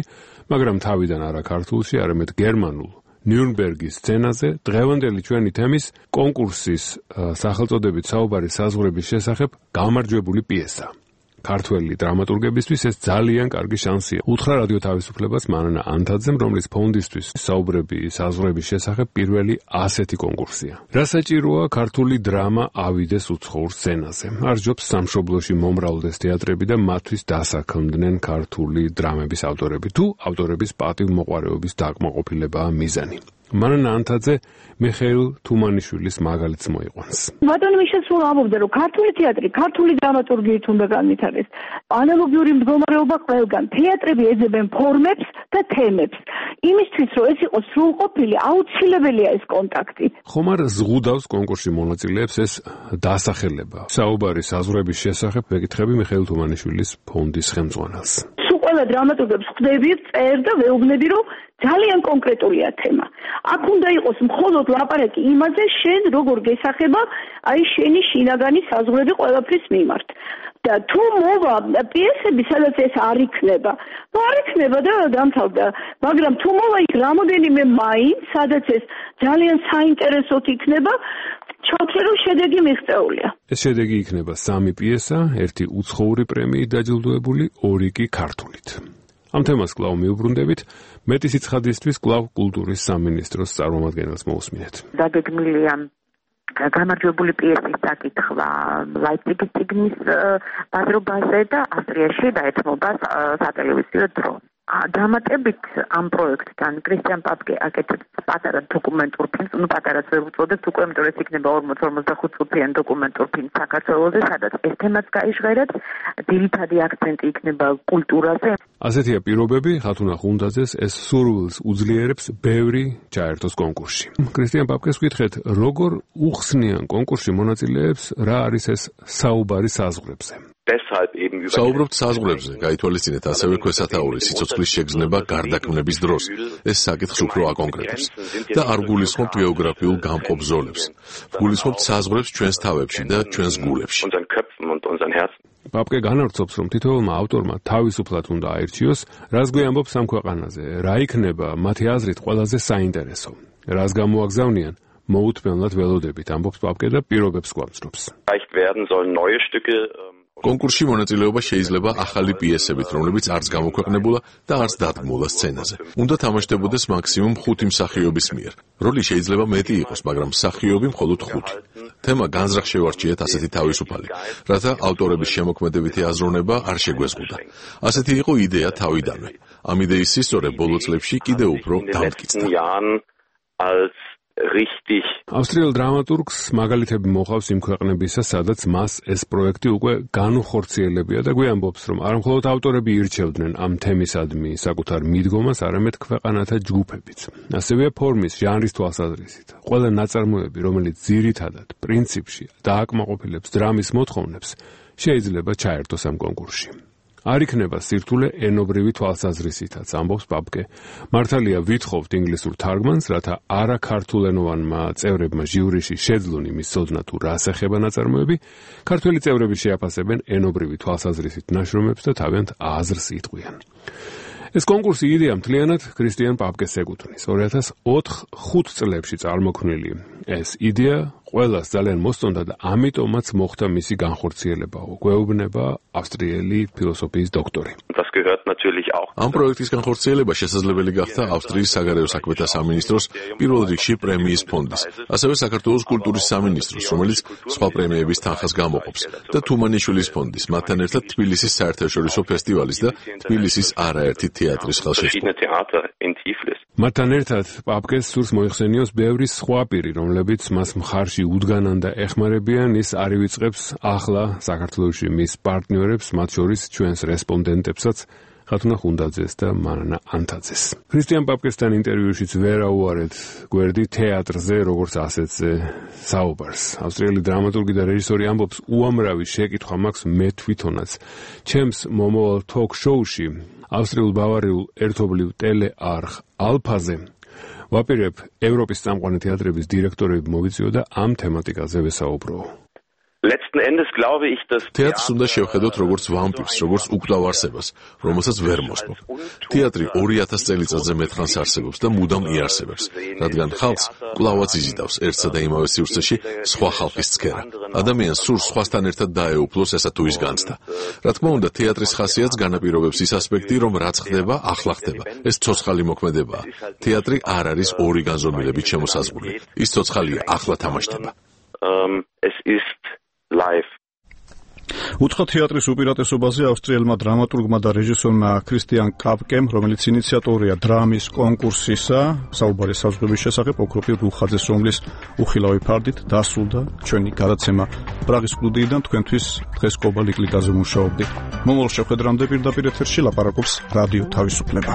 მაგრამ თავიდან არა ქართულში, არამედ გერმანულ ნიურნბერგის სცენაზე დღევანდელი ჩვენი თემის კონკურსის სახელწოდებით საუბარი საზღვრების შესახებ გამარჯვებული პიესა. ქართველი დრამატურგებისთვის ეს ძალიან კარგი შანსია. უთხრა რადიო თავისუფლებას მანანა ანთაძემ, რომლის ფონდისთვის საუბრები საზღვრების შესახებ პირველი ასეთი კონკურსია. რა საჭიროა ქართული დრამა ავიდეს უცხოურ სცენაზე. არ ჯობს სამშობლოში მომრავლდეს თეატრები და მათთვის დასაქმდნენ ქართული დრამების ავტორები. თუ ავტორების პატივმოყვარეობის დაკმაყოფილებაა მიზანი. მანანა ანთაძე მიხეილ თუმანიშვილის მაგალითს მოიყვანს. ბატონო მიშა სულ ამბობდა, რომ ქართული თეატრი, ქართული დრამატურგიით უნდა განვითარდეს. ანალოგიური მდგომარეობა ყველგან. თეატრები ეძებენ ფორმებს და თემებს. იმისთვის, რომ ეს იყოს სრულყოფილი, აუცილებელია ეს კონტაქტი. ხომ არ ზღუდავს კონკურსში მონაწილეებს ეს დასახელება. საუბარი საზღვრების შესახებ მეკითხები მიხეილ თუმანიშვილის ფონდის ხელმძღვანელს. ყველა დრამატურგებს ხვდები, წერ და ვეუბნები, რომ ძალიან კონკრეტულია თემა. აქ უნდა იყოს მხოლოდ ლაპარაკი იმაზე, შენ როგორ გესახება აი შენი შინაგანი საზღვრები ყველაფრის მიმართ. და თუ მოვა პიესები, სადაც ეს არ იქნება, არ იქნება და დამთავრდა. მაგრამ თუ მოვა იქ რამოდენიმე მაინც, სადაც ეს ძალიან საინტერესოდ იქნება, ჩავთვლე, რომ შედეგი მიღწეულია. ეს შედეგი იქნება 3 პიესა, 1 უცხოური პრემიით დაჯილდოებული, 2 კი ქართულით. ამ თემას კვლავ მიუბრუნდებით, მეტი სიცხადისთვის კვლავ კულტურის სამინისტროს წარმომადგენელს მოусმინეთ. დაგეგმილია გამარჯვებული პიესის საკითხვა ლაიფციგის წიგნის ბაზრობაზე და ავსტრიაში დაეთმობა სატელევიზიო დრო. დამატებით ამ პროექტთან კრისტიან პაპკე აკეთებს პატარა დოკუმენტურ ფილმს, პატარას ვერ უწოდებთ უკვე, იმიტომ რომ ეს იქნება 40-45 წუთიანი დოკუმენტურ ფილმი საქართველოზე, სადაც ეს თემაც გაიჟღერებს, ძირითადი აქცენტი იქნება კულტურაზე. ასეთია პირობები, ხათუნა ხუნდაძეს ეს სურვილს უძლიერებს ბევრი ჩაერთოს კონკურსში. კრისტიან პაპკეს ვკითხეთ, როგორ უხსნიან კონკურსში მონაწილეებს, რა არის ეს საუბარი საზღვრებზე. საუბრობთ საზღვრებზე, გაითვალისწინეთ ასევე ქვესათაურის სიცოცხლის შეგრძნება გარდაქმნების დროს. ეს საკითხს უფრო აკონკრეტებს და არ გულისხმობთ გეოგრაფიულ გამყოფ ზოლებს. გულისხმობთ საზღვრებს ჩვენს თავებში და ჩვენს გულებში. პაპკე განავრცობს, რომ თითოეულმა ავტორმა თავისუფლად უნდა აირჩიოს, რას გვიამბობს ამ ქვეყანაზე, რა იქნება მათი აზრით ყველაზე საინტერესო. რას გამოაგზავნიან, მოუთმენლად ველოდებით, ამბობს პაპკე და პირობებს გვამცნობს. კონკურსში მონაწილეობა შეიძლება ახალი პიესებით, რომლებიც არც გამოქვეყნებულა და არც დადგმულა სცენაზე. უნდა თამაშდებოდეს მაქსიმუმ 5 მსახიობის მიერ. როლი შეიძლება მეტი იყოს, მაგრამ მსახიობი მხოლოდ 5. თემა განზრახ შევარჩიეთ ასეთი თავისუფალი, რათა ავტორების შემოქმედებითი აზროვნება არ შეგვეზღუდა. ასეთი იყო იდეა თავიდანვე. ამ იდეის სისწორე ბოლო წლებში კიდევ უფრო დამტკიცდა. ავსტრიელ დრამატურგს მაგალითები მოყავს იმ ქვეყნებისა, სადაც მას ეს პროექტი უკვე განუხორციელებია და გვიამბობს, რომ არ მხოლოდ ავტორები ირჩევდნენ ამ თემისადმი საკუთარ მიდგომას, არამედ ქვეყანათა ჯგუფებიც. ასევეა ფორმის, ჟანრის თვალსაზრისით. ყველა ნაწარმოები, რომელიც ძირითადად პრინციპში დააკმაყოფილებს დრამის მოთხოვნებს, შეიძლება ჩაერთოს ამ კონკურსში. არ იქნება სირთულე ენობრივი თვალსაზრისითაც, ამბობს პაპკე. მართალია ვითხოვთ ინგლისურ თარგმანს, რათა არაქართულენოვანმა წევრებმა ჟიურიში შეძლონ იმის ცოდნა თუ რას ეხება ნაწარმოები, ქართველი წევრები შეაფასებენ ენობრივი თვალსაზრისით ნაშრომებს და თავიანთ აზრს იტყვიან. ეს კონკურსი იდეა მთლიანად კრისტიან პაპკეს ეკუთვნის. 2004-5 წლებში წარმოქმნილი ეს იდეა ყველას ძალიან მოსწონდა და ამიტომაც მოხდა მისი განხორციელება, გვეუბნება ავსტრიელი ფილოსოფიის დოქტორი. ამ პროექტის განხორციელება შესაძლებელი გახდა ავსტრიის საგარეო საქმეთა სამინისტროს პირველ რიგში პრემიის ფონდის, ასევე საქართველოს კულტურის სამინისტროს, რომელიც სხვა პრემიების თანხას გამოყოფს, და თუმანიშვილის ფონდის, მათთან ერთად თბილისის საერთაშორისო ფესტივალის და თბილისის არაერთი თეატრის ხელშეწყობა. მათთან ერთად პაპკეს სურს მოიხსენიოს ბევრი სხვა პირი, რომლებიც მას მხარში უდგანან და ეხმარებიან, ის არ ივიწყებს ახლა საქართველოში მის პარტნიორებს, მათ შორის ჩვენს რესპონდენტებსაც, ხათუნა ხუნდაძეს და მარანა ანთაძეს. ქრისტიან პაპკესთან ინტერვიუშიც ვერ აუარეთ გვერდი თეატრზე, როგორც ასეთზე საუბარს. ავსტრიელი დრამატურგი და რეჟისორი ამბობს, უამრავი შეკითხვა მაქვს მე თვითონაც. ჩემს მომავალ თოქ-შოუში, ავსტრიულ-ბავარიულ ერთობლივ ტელეარხ ალფაზე ვაპირებ ევროპის წამყვანი თეატრების დირექტორები მოვიწვიო და ამ თემატიკაზე ვესაუბრო. Letzten Endes glaube ich, dass თეატრს უნდა შევხედოთ როგორც ვამპირს, როგორც უკვლავ არსებას, რომელსაც ვერ მოსპობ. თეატრი 2000 წელიწადზე მეტხანს არსებობს და მუდამ იარსებებს, რადგან ხალხს კვლავაც იზიდავს ერთსა და იმავე სივრცეში სხვა ხალხის ცქერა. ადამიანს სურს სხვასთან ერთად დაეუფლოს ესა თუ ის განცდა. რა თქმა უნდა, თეატრის ხასიათს განაპირობებს ის ასპექტი, რომ რაც ხდება, ახლა ხდება. ეს ცოცხალი მოქმედებაა. თეატრი არ არის ორი განზომილებით შემოსაზღვრული. ის ცოცხალია, ახლა თამაშდება. Es ist live. უცხო თეატრის უპირატესობაზე ავსტრიელმა დრამატურგმა და რეჟისორმა ქრისტიან კაპკემ, რომელიც ინიციატორია დრამის კონკურსისა, საუბარი საზღვრების შესახებ ოქროპირ რუხაძეს, რომლის უხილავი ფარდით დასრულდა ჩვენი გადაცემა პრაღის სტუდიიდან. თქვენთვის დღეს კობალ იკლიკაზე მუშაობდი. მომავალ შეხვედრამდე პირდაპირ ეთერში ლაპარაკობს რადიო თავისუფლება.